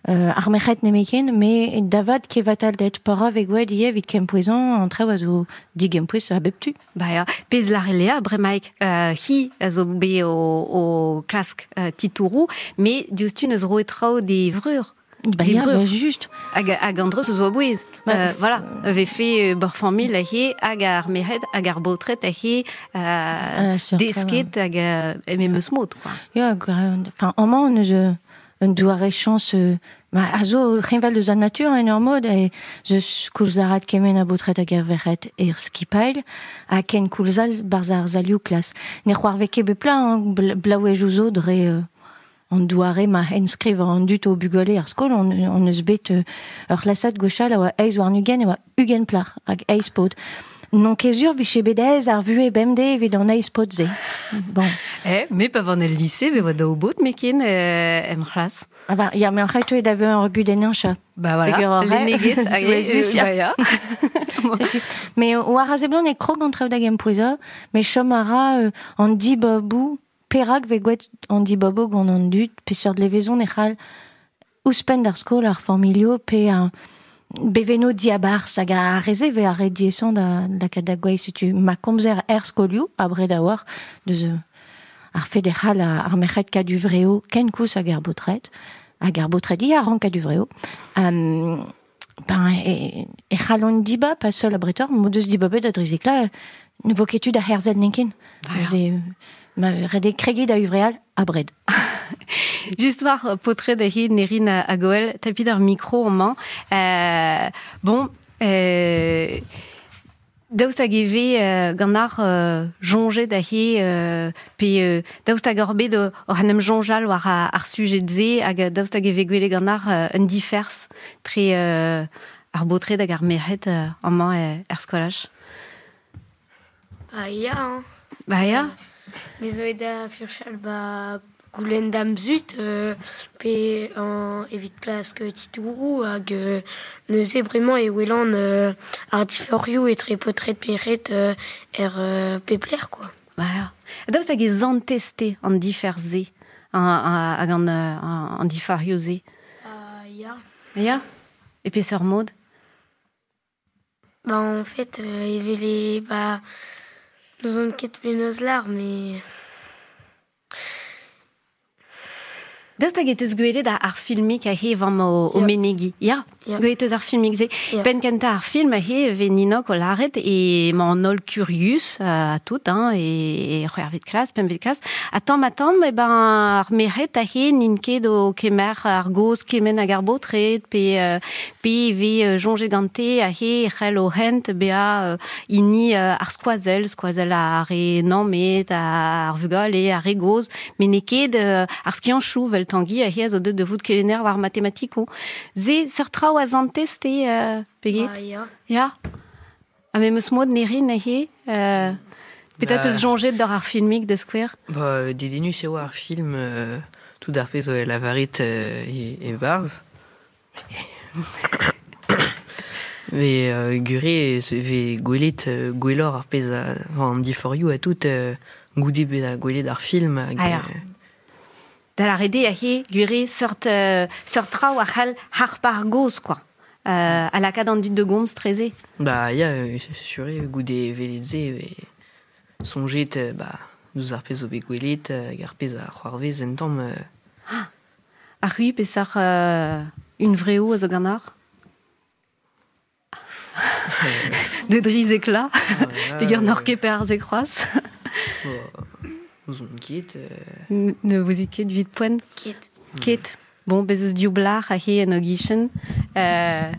euh, ar merc'hed nemetken, met davad kevatal det para ve gwed ivez evit kempouezañ an traoù a zo digempouez a bep tu. Ba ya, pezh lare Léa bremaik euh, hi a zo bet o, o klask euh, titouroù, met diouzhtu neus roet traoù d'e vreur. Ba Des ya, breur. ba just. Hag, hag an dreuz eus oa bouez. Ba, Euh, voilà, vefe bor familh ahe, hag ar merc'hed, hag ar baotred ahe, euh, Euh, sur desket hag euh, eme meus mod, quoi. Ya, gra- enfin, amañ on eus euh, un doare chañs euh, ma a zo c'heñvel deus an natur en ur mod e zeus koulz arat kement a baotred hag ar verc'hed er skipailh ha ken koulz all barzh ar salioù klas. Ne c'hoarvez ket bep plat, hein, bl- blaouezhioù zo dre euh, an doare ma enskriv an dud o bugale er skol, on, on eus bet euh, ur c'hlasad gwechall a oa eizh warn-ugent e oa ugent plac'h hag eizh paotr. Non ket sur vije bet aes ar vuhez bemdez evit an eizh paotr-se. Bon. Eh, me pa van el lycée, me oa daou baotr meken euh, em c'hlas. Ah ba, ya, mais en fait, tu d'ave ur gudenn ancha. Ba voilà, Peogwir ar re- lennegezh hag Souezhus, euh, ya. ba ya. Setu. Mais war a seblant e krog an traoù da gempouezañ, met chom a ra euh, an dibabou, perak ve gwet an dibabou gant an dud, peseurt levezon e c'hall ouzhpenn d'ar skol ar familho pe ar beveno diabarzh hag ar reze ve ar re diesañ da, da kat da gwez, setu ma komzer er skolioù, abred a war, deus euh, ar fed e c'hall ar merc'hed kaduvreo ken koulz hag ar baotred, hag ar baotred ia rank kaduvreo. Um, ben, e, e c'hall an dibab, pas seul a bretor, m'o deus dibabet da drizekla, ne vo ket tu da herzel nenken. Ba ya. Neuze, ma ret eo kregiñ da uvreal abred. Just war paotred ahe Nerin hag Goel, tapit ar mikro amañ. Euh, bon, euh, Daoust hag e ve euh, gant ar euh, jonjet a he euh, pe euh, daoust hag ur bet o an em jonjal war ar, ar sujet ze hag daoust hag e ve gwele gant ar euh, un diferz tre euh, ar botred hag ar merc'hed euh, amañ euh, er skolaj. Ba ya, hein. Ba ya. Me zo da furchal ba goulenn dam zut euh, pe an evit klask titourou hag euh, neuze bremañ e welan euh, ar diforioù etre potret peret euh, er euh, pepler quoi. Ba ya. Daoust hag e zanteste an diferz-se hag an, an, an difarioù-se. Ba ya. Ya. E peseurt mod? Ba en fait euh, evel e ba n'ouzon ket penaos lar mais Daoust hag e teus gwelet ar filmik a he vam o, o menegi. Ya, Ya. gwelet eus ar filmik se. Ya. Penn kentañ ar film a he ve Ninok o laret e ma an holl curius euh, a tout, hein, e, e c'hwec'hvet klas, pempvet klas. A tamm a tamm, e ben ar merc'hed a he n'int ket o kemer ar goz kement hag ar baotred, pe, euh, pe ve euh, jonjet gante a he c'hell o hent bea euh, hini euh, ar skoazell, skoazell ar re nammet, ar vugale, ar re goz, met n'eo ket euh, ar skianchoù vel Tanguy a he a zo deut de vout kelenner war matematiko. Ze seurt traoù a zantez te, euh, peget? Ba ya. Ya. Ha me meus mod nerin a he, euh, petra Ba... teus jonjet d'ar ar filmik de skouer? Ba, dedennus eo ar film euh, tout ar pezh oa lavaret euh, e, e barz. Ve euh, gure se ve gwelet euh, gwelloc'h ar pezh a, enfin, an diforioù a tout euh, goude bet a gwelet ar film hag, Ah ya. euh, Da la rede a he gwire seurt, euh, seurt traoù a c'hell harp ar goz, quoi. Euh, a lakaat an dud de gomz treze. Ba ya, euh, sur eo goude velet se ve sonjet euh, ba deus ar pezh zo bet gwelet hag ar pezh a c'hoarvez en tamm euh, Ah. Ar c'hwi peseurt euh, une vreo a zo gant ar? De driz ekla, peger n'or ket per ar ze kroaz. N'ouzon ket. Euh... Ne vous ket vit poent? Ket. Ket. Bon, bez eus div blac'h a he en o gichen, euh,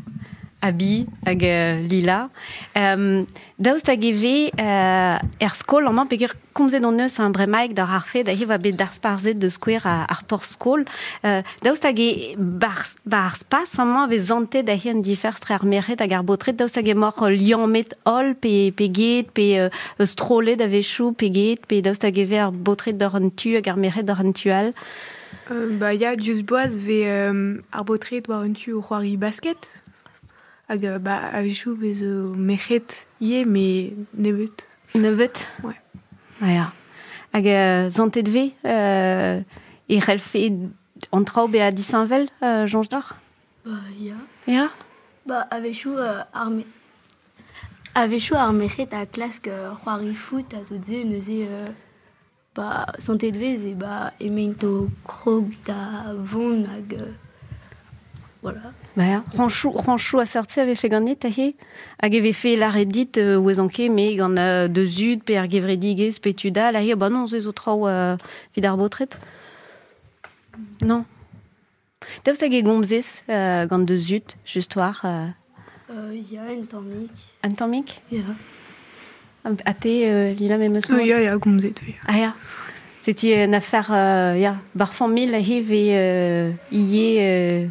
Abi hag euh, Lila. Euh, daoust hag e ve euh, er skol amañ peger komzet hon eus an bremaik d'ar ar fed a he va bet d'ar sparzet de skouer a, ar por skol. Euh, daoust hag e bar, bar spas amañ vez zantet a he an diferz tre ar merc'hed hag ar baotred, daoust hag e mor liammet holl pe, pe get, pe euh, strollet a-wechoù pe get, pe daoust hag e ve ar baotred d'ar an tu hag ar merc'hed d'ar an tu all. Euh, ba ya, diouzh boaz ve euh, ar baotred war un tu o c'hoari basket. Hag ba a-wechoù vez o merc'hed ivez, met nebeut. Nebeut? Ouais. Ah ya. Hag euh, zantet ve euh, e c'hellfe an traoù bezañ disheñvel, euh, soñj deoc'h? Ba ya. Ya? Ba a-wechoù euh, ar me... a-wechoù ar merc'hed a klask euh, c'hoari foot a tout se neuze euh, ba santet vez e ba emaint o krog da vont hag euh, voilà. Ba ya, Ranchou, Ranchou a seurt-se a vefe ganit a he? Hag e vefe lâret dit euh, oez anke, me gant euh, deus zud pe ar gevredigezh pe tud all, a he, ba non, se zo traoù euh, evit ar baotred? Non. Daoust hag e gomzez euh, gant deus zud, just war euh... Euh, ya, un tammig. Un tammig? Ya. A te, euh, Lila, memes mod? Euh, ya, ya, gomzet, ya. Ah ya. C'était une affaire, euh, ya, bar familh a he ve euh, ivez euh,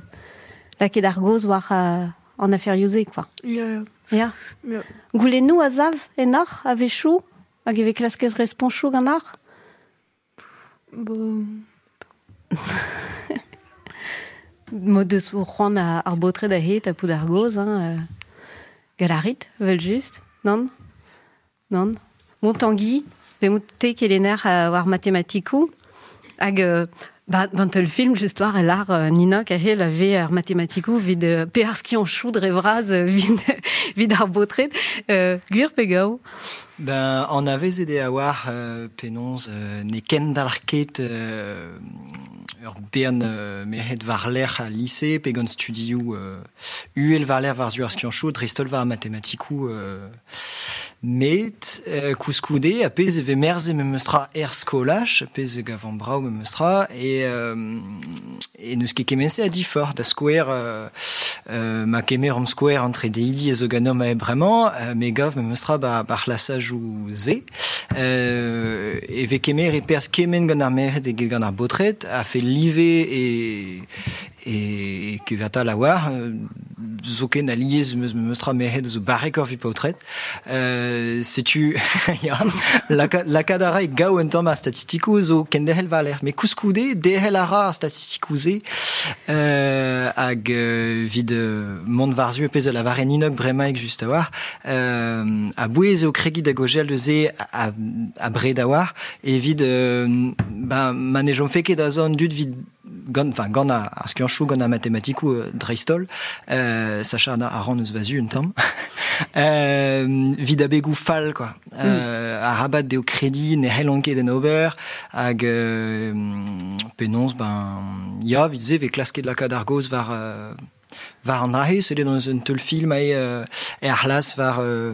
lakaet ar goz war euh, an aferioù-se, quoi. Ya, ya. Ya. Ya. Goulennoù a zav ennoc'h a-wechoù hag e vez klaskez responchoù gant ar? Bon. Mod eus o c'hoant a, ar baotred a he tapout ar goz, hein, euh, galarit, vel just, non? Non? Bon, Tanguy, ve te kelenner euh, war matematikoù, hag euh, ba, bant ul film just war el ar euh, Nina kahel a ve ar matematikoù vid euh, pe ar skianchoù dre vras euh, vid, vid ar baotred, euh, gwir pe gaou? Ben, an avez ede a war euh, penaos euh, ne kendalc'h ket euh, ur bern euh, merc'hed war-lerc'h al lise pe gant studioù euh, uhel war-lerc'h war-zu ar skianchoù, dreist-holl war ar matematikoù euh, met euh, koulskoude a pezh e vez merzet memes tra er skolaj, a pezh e gavan brav memes tra, e, euh, E neus ket kemense a difor, da skouer euh, euh, ma kemer am skouer entre deidi e zo ganom a bremañ, euh, me gav me meustra ba, ba c'hlasaj ou ze. Euh, e ve kemer e pers kemen gant ar merc'hed eget gant ar baotred, a fe live e, e, e kevatal a war, euh, zoken a liez meus meustra merc'hed zo barrek ur vi paotred. Euh, setu, ya, laka, lakaat a ra e gaou un tamm ar statistikoù zo kenderc'hel valer. Mais koulskoude, derc'hel a ra ar statistikoù-se euh, hag euh, vid euh, mont war-zu e pezh a lavare Ninok bremaik just a war, euh, a bouez eo kregi da gogel deus a, a bred a war, evit euh, ben, ma ne jom fe ket da zon dud vid gant, enfin, gant ar, ar skianchoù, gant ar matematikoù euh, dreist-holl, euh, sacha a ran eus va zu un tamm, euh, vid abegoù fall, quoi. Euh, mm. Arabat deo kredi ne c'hellont ket en ober, hag euh, penaos, ben, ya, vid se ve klasket lakaat ar gaoz war, euh, war an ahe, seulet dans un teul film ae euh, er c'hlas war euh,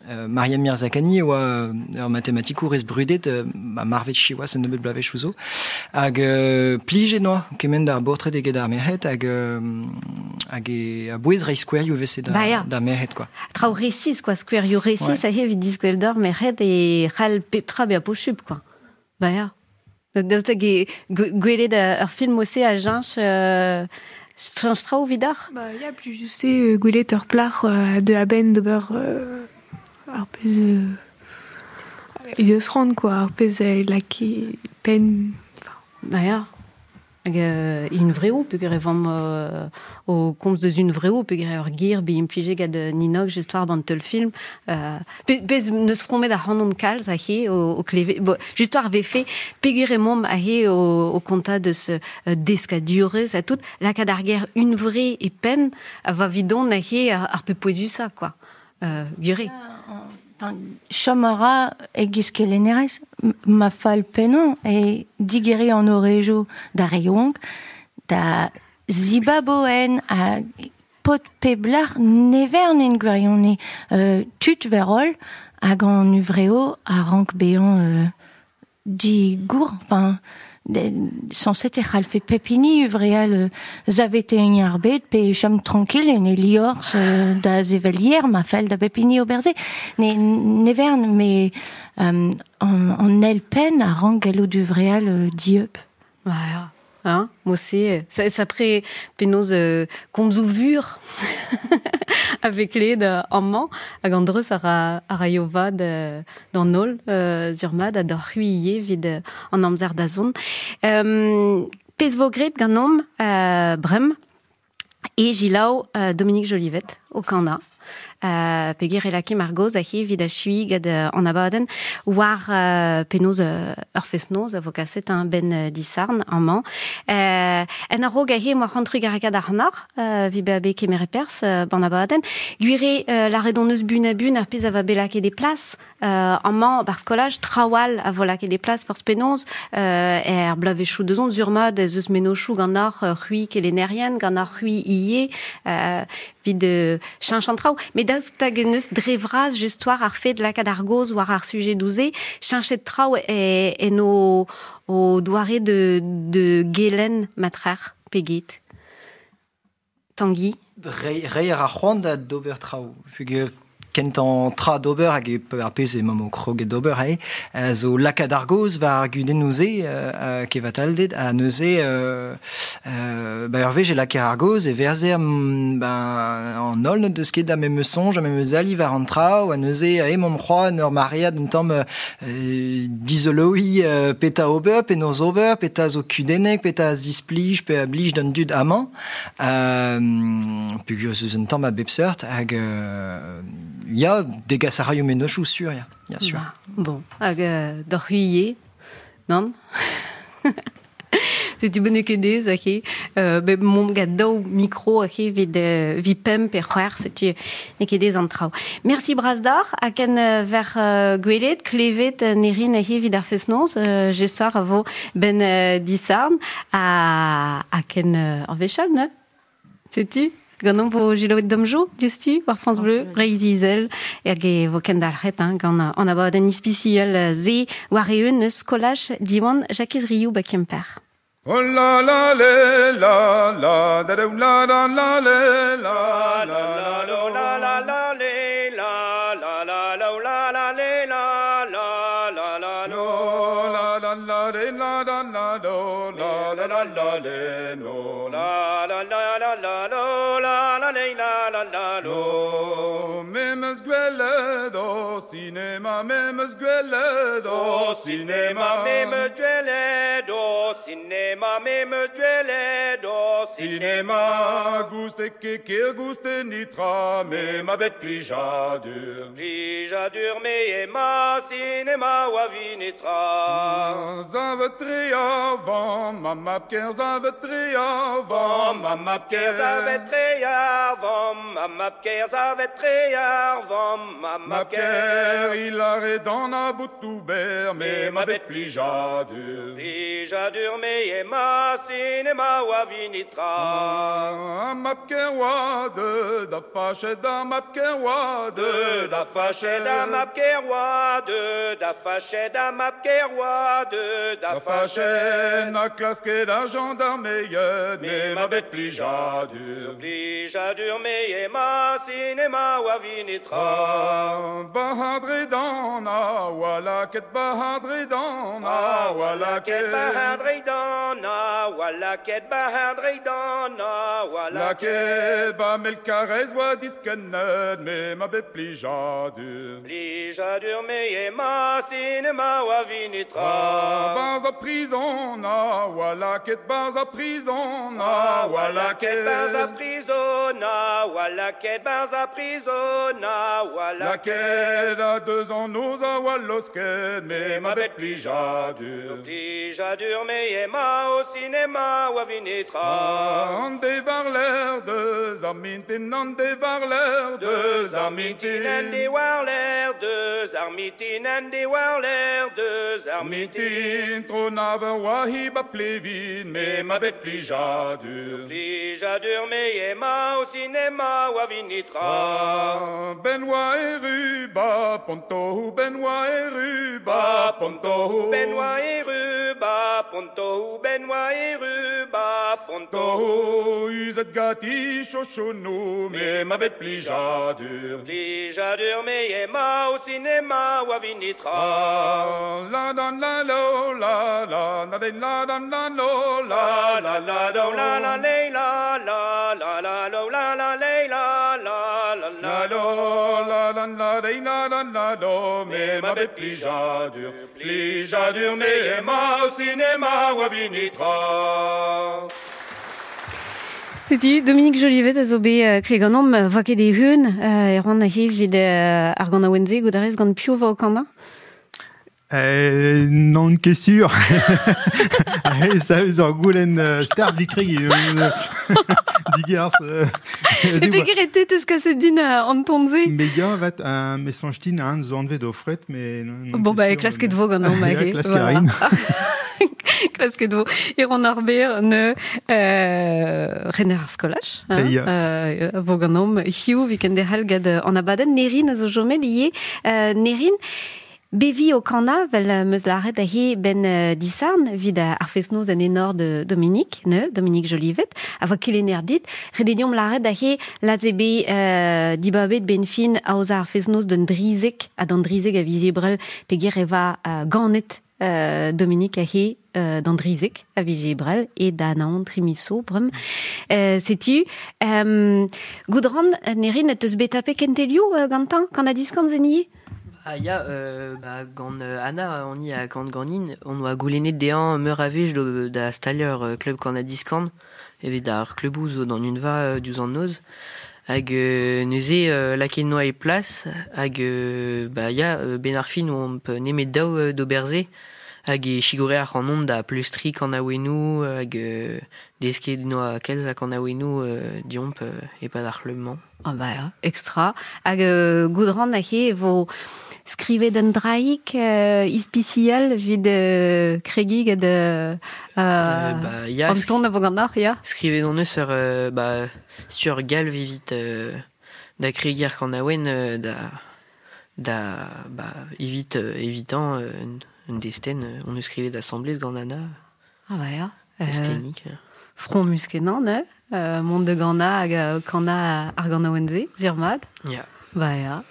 euh, Mariam Mirzakhani oa euh, ur matematikour ez brudet euh, ma marvet chiwaz un nebeut bloavezhioù zo. Hag euh, plijet noa kement d'ar baotred eget ar merc'hed hag euh, hag e a bouez reiñ skouerioù vese da, Ba ya. da merc'hed, quoi. Traoù resis, quoi, skouerioù resis, Ouais. a evit diskwel d'ar merc'hed e c'hall pep tra bezañ posupl, quoi. Ba ya. Daoust hag e gwelet ur film ose a jench euh, Strange traoù vidar? Ba ya, plus je sais, euh, gwelet ur plac'h euh, de a-benn d'ober euh, ar pezh euh, eus rand, quoi, ar pezh a lake penn. Ba ya. Hag euh, un vreo, peogwir e vamm euh, o komz deus un vreo, peogwir ur gir be implije gant Ninok just war ban teul film. Euh, pe, pezh neus fromet ar c'hanon kalz a he o, o kleve, bo, just war vefe, peogwir e mamm a he o, o konta deus euh, deskadurez a tout, lakaat ar ger un vre e penn a va vidon a he ar, ar pe pouezusa, quoi. Euh, gure. Enfin, chom a ra egiz kelennerez, ma fall pennañ e digeri an orejo da re yaouank, da zibaboen a pot peblar nevern en gwirione euh, tut verol hag an uvreo a rank bezañ euh, digour, enfin, censé e c'hallfe pep hini uvreal euh, zavete en ar bet pe chom tranquille en e liorz euh, da zevelier ma fell da pep hini oberze ne, nevern mais euh, an, an elpen a rank gallout uvreal euh, dieub. Voilà. Hein, mosse, ça, ça pre penaos euh, komzoù vur avec led amañ hag an dreuz a ra, a raio vad euh, d'an holl euh, zur-mat ha d'ar c'huilhe evit euh, an amzer da zont. Euh, pezh vo graet ganeomp euh, brem e jilaou euh, Dominique Jolivet o kana. Euh, peogwir e lakaimp ar gaoz a he evit achui gant euh, an abadenn war euh, penaos euh, ur fest-noz a vo kaset un ben euh, disarn amañ. Euh, en a-raok a he moa c'hoant trugarekaat ar c'hanoc'h, euh, vi bezañ bet kemeret perzh euh, ban abadenn. Gwir eo euh, lâret hon eus bun a bun ar pezh a va bet lakaet e plas euh, amañ bar skolaj trawal a vo lakaet e plas forzh penaos euh, er bloavezhioù da zont zur-mat ez eus mennozhioù gant ar euh, c'hwi kelennerien, gant ar c'hwi ivez euh, evit euh, cheñch an traoù. Mais daoust hag en eus dre vras just war ar fed lakaat ar gaoz war ar sujet douze, cheñchet traoù e, en o, o doare de, de gelen matrer peget. Tanguy? Rei, rei ar c'hoant da d'ober traoù. Peogwir kentañ tra d'ober hag e ar pezh emañ o kroget d'ober ae, euh, zo lakaat ar gaoz war ar gudennoù-se euh, kevatalded ha neuze euh, euh, ba ur wech e lakaer ar gaoz e verzer mm, ben, an holl n'o deus ket da memes soñj, a memes ali war an traoù, ha neuze ae emaomp c'hoazh en ur maread un tamm euh, dizoloiñ euh, petra ober, penaos ober, petra zo kudennek, petra a zisplij, pe a blij d'an dud amañ. Euh, peogwir ez eus un tamm a bep seurt hag euh, ya, degas a raio mennozhioù sur, ya, ya sûr. Ba, bon, hag euh, d'ur c'huilhe, nann? Setu benn ket ez, ake, euh, bet mont gant daou mikro ake evit, euh, evit pemp pe c'hwec'h, setu n'eo ket ez an traoù. Merci bras d'ar, hag en euh, ver euh, gwelet, klevet euh, nerin ake evit ar fest-noz, euh, just war a vo ben euh, disarn, ha, ha ken euh, ar wech all, ne? Setu? Ganeomp vo jilaouet damjo, diouzhtu, war France Bleu, Breizh Izel, hag e vo kendalc'het, hein, gant an abadenn ispisial ze war eeun eus skolaj Diwan Jakez Riou ba Kemper. Oh la la le la la da da la la la le la la la la la la la le la la la la la la le la la la la lo la la la le la la la do la la la la le no la la la la la lo la la le la la la lo memes gwelet o cinéma memes gwelet o cinéma memes gwelet o cinéma memes gwelet o cinéma gouste ket ker gouste nitra me ma bet plijadur plijadur me ema cinéma oa vinetra Zavet tre avant ma map ker zavet tre avant ma map ker zavet tre avant ma map ker zavet tre avant ma map ker il arrête dans la bout me ma bet plijadur plijadur me ema cinéma oa vinitra map ker oa de da fachet da map ker oa de da fachet da map ker oa de da fachet da map ker oa de da fachet na klasket a gendarmeie me ma bet plijadur plijadur me ema cinéma oa vinitra Bahadre dan a wala ket bahadre dan a wala ket bahadre dan a wala ket bahadre dan a wala ket ba mel karez oa diskennet me ma bet plijadur plijadur me ema cinéma oa vinitra Barz a prison a wala ket barz a prison a wala ket barz a prison a wala ket barz a prison a wala ket a deux ans noz a oa losket me ma bet plijadur plijadur me ema o cinéma oa vinitra An de varler deus ar mintin an de varler deus ar mintin an de warler deus ar mitin an de warler deus ar mitin tro naver oa hi ba plevin me ma bet plijadur plijadur me ema o cinéma oa vinitra Ben oa eru ba pontohu ben oa eru ba pontohu ben oa eru ba pontohu ben oa eru ba pontohu Uzet gati chochono me ma bet plijadur plijadur me ema o cinéma oa vinitra La la la lo la la la la la la lo la la la la la la la la la la la la la la la la la lo la la la la la la do me ma bet plijadur plijadur me ema o cinéma oa vinitra Setu Dominique Jolivet a zo bet kleganom va ket e hun e ran a evit ar gant a-wenze godarez gant piv va o kanda. Euh, non ket sur. Ça eus ur goulenn start vikreg digerzh. E peger e teus kaset din an tonze. Me ya vat un me soñj an zo anvet o fret mais bon bah klasket vo gant an ma klasket rin. Klasket vo e ran ar ber ne euh, rener ar skolaj hein, euh, vo gant om hiu viken derc'hel gad an abadenn Nerin a zo jomet ivez euh, Nerin Bevi o kana vel meus laret a he ben uh, disarn vid ar fest-noz en enor de Dominique, ne, Dominique Jolivet, a voa kelenner dit, redediom laret a he laze be uh, dibabet ben fin aoza ar fest-noz d'un drizek, ha d'an drizek a viz ebrel peger e va uh, ganet uh, Dominique a he uh, d'an drizek a viz ebrel e da naon trimiso brem. Uh, setu, um, goudran nerin et eus betape kentelioù uh, gantan, kan a diskan zeni? Ah ya, euh, bah, gant Anna, on y a gant ganin, on oa goulennet dezhañ meur a wech da stalier klub kan a diskan, evet ar klubou zo d'an unva diouzh an noz, hag euh, neuze euh, lakaet noa e plas, hag euh, bah, ya, ben ar fin oamp nemet daou d'oberze, hag e chigore ar c'hanomp da pleustri kan a-wennoù, hag euh, desket noa kalz a kan a-wennoù euh, diomp euh, e-pad ar c'hlub-mañ. Ah bah, ya, extra. Hag euh, goudran a he vo skrivet an draik euh, ispisial vid euh, kregi gad euh, euh, bah, ya, an ton a vo gant ar, ya. Skrivet on eus ur, euh, bah, sur galv evit euh, da kregi ar kan a-wen euh, da, da bah, evit euh, evitant euh, un desten, on eus skrivet assemblez gant Anna. Ah bah ya. Estenik. Front muskenan, ne? Euh, mont de gana hag euh, kana ar ganaouenze, zurmad. Ya. Ba ya.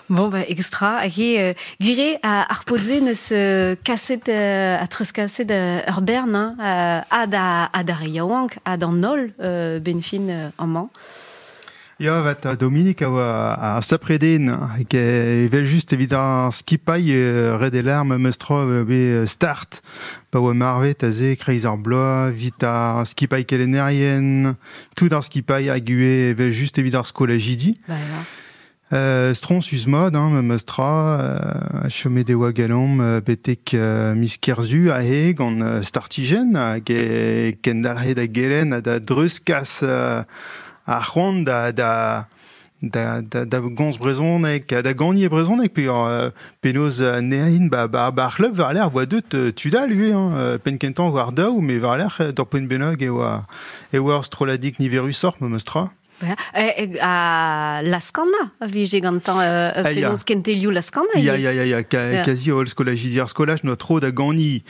Bon, ba, extra. Hag he, euh, gure a ar podze neus euh, kaset, euh, a treuz kaset euh, ur bern, hein, euh, ad a, ad ar yaouank, ad an holl euh, benfin euh, amañ. Ya, vat a Dominik a oa a sapreden, hag evel just evit ar skipailh euh, red e larm meustra be start, pa oa marvet a ze kreiz ar bloaz, vit ar skipailh kelennerien, tout ar skipailh hag ue evel just evit ar skolajidi. Ba ya. Euh, strons eus mod, hein, meustra, euh, chome de oa galom, euh, betek euh, miz kerzu a he gant euh, startigen, hag e kendalc'he da gelen ha da dreuz kas euh, ar c'hoant da, da, da, da, da gomz brezhoneg, da gagner brezhoneg, pe euh, penaos euh, nerin ba, ba, ba ar c'hlub war l'air oa deut euh, tudal ue, hein, euh, penn kentañ war daou, mais war l'air euh, d'ur poent bennak e oa, e oa ur strolladig niverusoc'h meustra. Ba ya. E, e, a Laskana, a vije gantañ euh, Ah, ya. penaos kentelioù Laskana. Ya, ivez. ya, ya, ya, ka, Ya. kazi holl skolajidi ar skolaj noa tro da gani.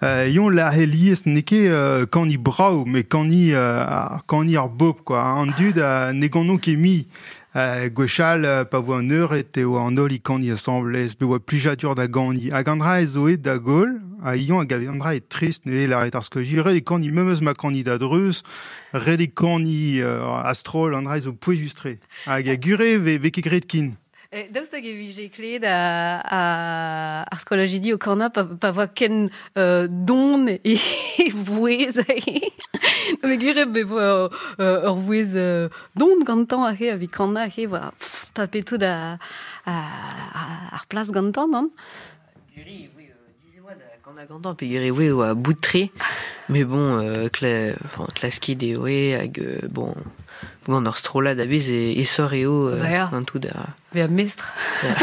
Euh, yon la helies n'eo ket euh, kani brav, mais kani, euh, ar- kani ar bob, quoi. An dud a ne ganon ket mi. Euh, gwechall, euh, pa voa an eured eo an holl i kani asambles, be oa plijadur da gani. Hag an dra e zo et da gaol, ha ion hag an dra e trist neuze lâret ar skolajidi, ret e kani memes ma kani da dreuz, ret e kani euh, astrol, an dra e zo pouezus-tre. Hag a gure ve, ve ket graet kin. E, daoust hag e vije kleet a, a, ar skolajidi o kana pa, pa voa ken euh, don e, e vouez ahe. Non, mais gwir eo be voa euh, ur vouez euh, don gantañ ahe, evit kana ahe, voa pff, tapet tout a, a, a, ar plas gantañ, non? Guri, oui, euh, disais oa da kana gantañ, pe guri, oui, oa bout tre, mais bon, euh, kla, enfin, klaskit eo e, hag, euh, bon, gant ur strollad a bez e, e sor eo, euh, Ba ya. gant tout da... Be a mestr. Ya.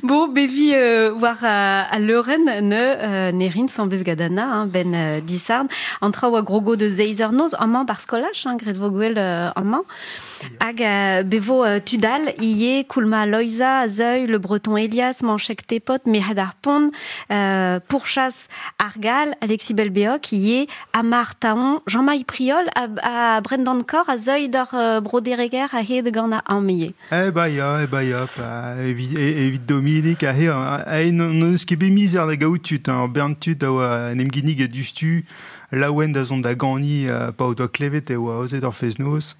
Bon, bevi euh, war a, a leuren ne euh, nerin sans gadana, hein, ben euh, disarn, an traoù a grogo de zeizer noz, amañ bar skolaj, hein, gret vo gwell euh, amañ. Hag euh, bevo euh, tudal, ie, Koulma Loiza, Zeuil, Le Breton Elias, Manchek Tepot, Mehad ar Pont, euh, Pourchasse Argal, Alexis Belbeoc, ie, Amar Taon, Jean-Maï Priol, a, a Brendan Cor, a Zeuil d'ar euh, Brodereger, a hed gant a amie. Eh ba ya, eh ba ya, pa, evit, e- evit Dominik, a he, a he n'on eus ket bet mizer da gaout tud, hein, bern tud a oa en em ginnig a dustu, laouen da zont da gani, euh, pa o doa klevet e oa aozet ar fest-noz,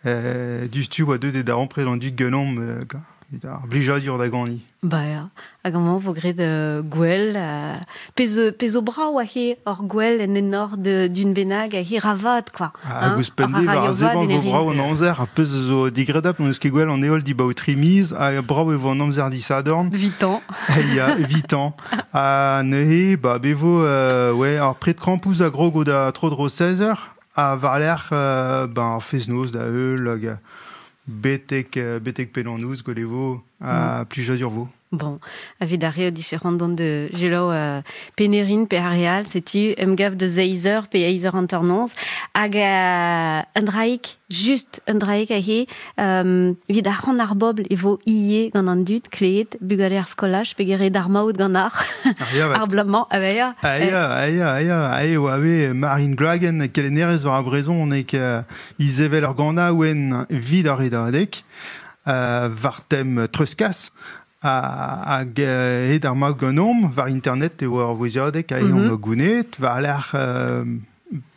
euh, dustu oa deut e da rampret an dud ganeomp, euh, ga, evit ar blijadur da gani. Ba ya, hag amañ vo graet euh, gwell, euh, pezh pezh o brav a he ur gwell en enor de, d'un bennak a he ravat, quoi. Hag ouzhpenn se, war ar seblant vo brav an amzer, ar pezh zo digredapl, n'eus ket gwell an heol dibaoe tri miz, ha brav e vo an amzer disadorn. Vitan. Ya, vitan. Ha neuze, ba, be vo, euh, ouais, ar pred krampouz a grogo da tro dro seize heures, ha war-lerc'h, euh, ben, ar fest-noz da heul, hag betek, euh, betek pellanouz, gwell e vo, ha Mm. plijadur vo. Bon, evit ar re diferant dont de gelo euh, penerin pe ar real, setu emgav de zeizer pe eizer anternoz, hag euh, un draik, just un draik a he, euh, evit ar c'hant ar bobl e vo ie gant an dud, kleet, bugale ar skolaj, pe gere d'ar maout gant ar, Ar ya, ar blamañ, ah ba ya. Ah ya, ah ya, ah ya, ah ya, oa bet Marine Gloagen, kelennerez war ar brezhon, nek euh, Izevel ur gana ouen vid ar redadeg, euh, war tem treuzkas, a, hag euh, hed ar maout ganeomp, war internet e oa ur vouezhiadeg, a Mhm. eomp gounet, war lec'h, euh,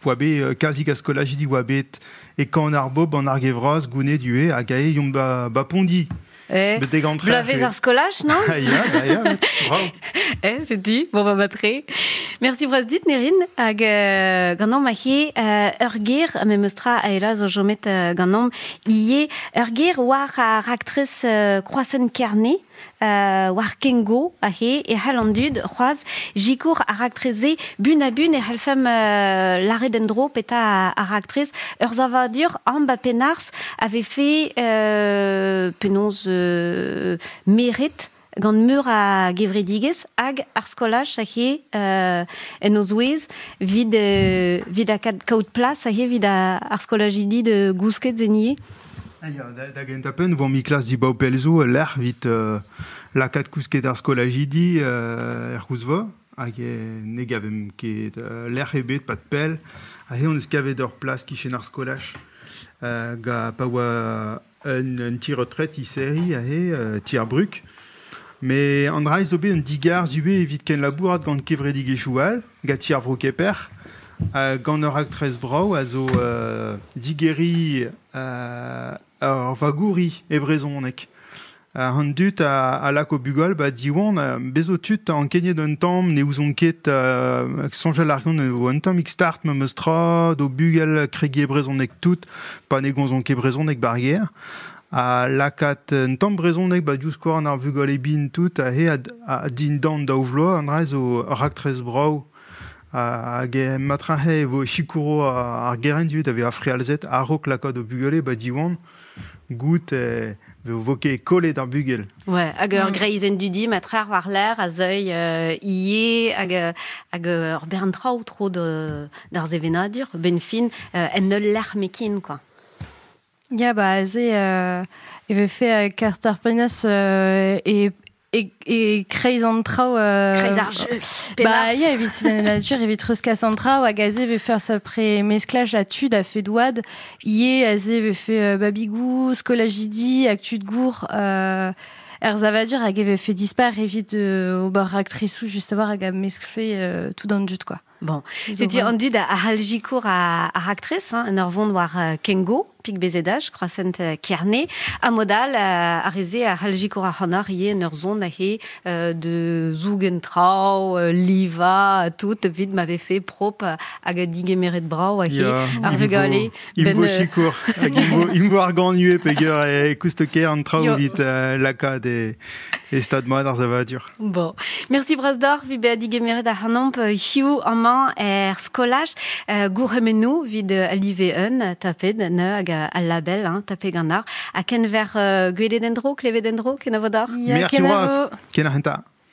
oa bet, euh, kalzik a skolajidi oa bet e kan ar bob an ar gevraz gounet ue, hag ae yomp ba, ba pondi. Eh, Betek an trec'h, Blavez e. ar skolaj, non? Ah ya, bah ya, bravo. Eh, c'est dit. Bon, bah, bah, Merci bras dit, Nerin. Hag euh, ganeomp a he euh, ur ger, me meustra a ela zo jomet euh, ganeomp ie, ur ger war ar raktres euh, Kroazenn Kerne, euh, war Kengo a he, e c'hell an dud, c'hoaz, jikour ar raktreze, bun a bun e c'hellfem euh, lâret en-dro peta ar raktrez, ur zavadur an ba penars avait fait euh, penaos euh, meret gant meur a gevredigez hag ar skolaj a he euh, en o zouez vid, euh, vid a kad kaout plas a he vid a, ar skolajidi de gousket zenie. Ah ya, da, da gentañ penn, vo mi klas dibaou pell zo, lec'h vit euh, lakaat kousket ar skolajidi euh, er c'houzva, hag e ne gavem ket euh, lec'h ebet pat pell, hag on eus kavet ur plas kichen ar skolaj, euh, ga pa oa un, un ti retret i seri ahe, euh, ti ar bruk. Me an dra zo bet un digar zube evit ken labourat gant kevredig echoual, ga ti ar vro keper, euh, gant ur aktrez brau a zo euh, digeri euh, ur vagouri e brezhoneg. Uh, an dut a, a lak o bugol, ba diwan, uh, bezo tut an kenyet un tamm, ne ouzon ket uh, soñjal ar gant o un tamm start me meus tra, do bugel kregi e brezhoneg tout, pa ne gonzon ket brezhoneg bar ger. A lakat un tamm brezhoneg ba diouzh an ar vugol e bin tout, a he a, a din dan daou vloaz, an dra zo raktrez brau. Hag e matrahe vo chikouro ar geren dut ave a frealzet a-raok lakaat o bugale ba diwan, gout e vo ket kollet ar bugel. Ouais, hag ur mm. greizenn dudi matrar war l'air a zeuil euh, ie hag, hag ur bern traoù tro de, d'ar zevenadur, ben fin, euh, en ul l'air mekin, quoi. Ya, ba, aze, euh, e vefe euh, kartar penas euh, e e, e kreiz an traoù... Euh, kreiz ar jeu. Ba, ya, evit sevenadur, evit treuzkas an traoù, hag aze vefe ur sapre mesklaj a tud a fe douad, ie aze vefe euh, babigou, skolajidi, hag tud gour, euh, er zavadur hag e vefe dispar evit euh, ober aktresou just a war hag a meskfe euh, tout an dud, quoi. Bon, c'est an dud a haljikour a, a raktres, hein, en ur vont war uh, Kengo, pik bezedaj, croissant uh, Kerne, a modal uh, a reze a haljikour a c'hanar ie en ur zon a he uh, de zougen trao, uh, liva, tout, vid m'avait fait prop hag a digemeret brau a he ar vugale. Il vo chikour, hag il vo ar gant nue peger e koustoker an trao vit uh, lakad e, e stad mat ar zavadur. Bon, merci Brasdor, vi be a digemeret a c'hanomp hiu amañ er skolaj, uh, gourhemennou vid uh, alive un, tapet, ne, hag al label, hein, tapet gant ar. Ha kenver uh, gwelet endro, klevet endro, kenavodor? Merci bras, ken ar henta.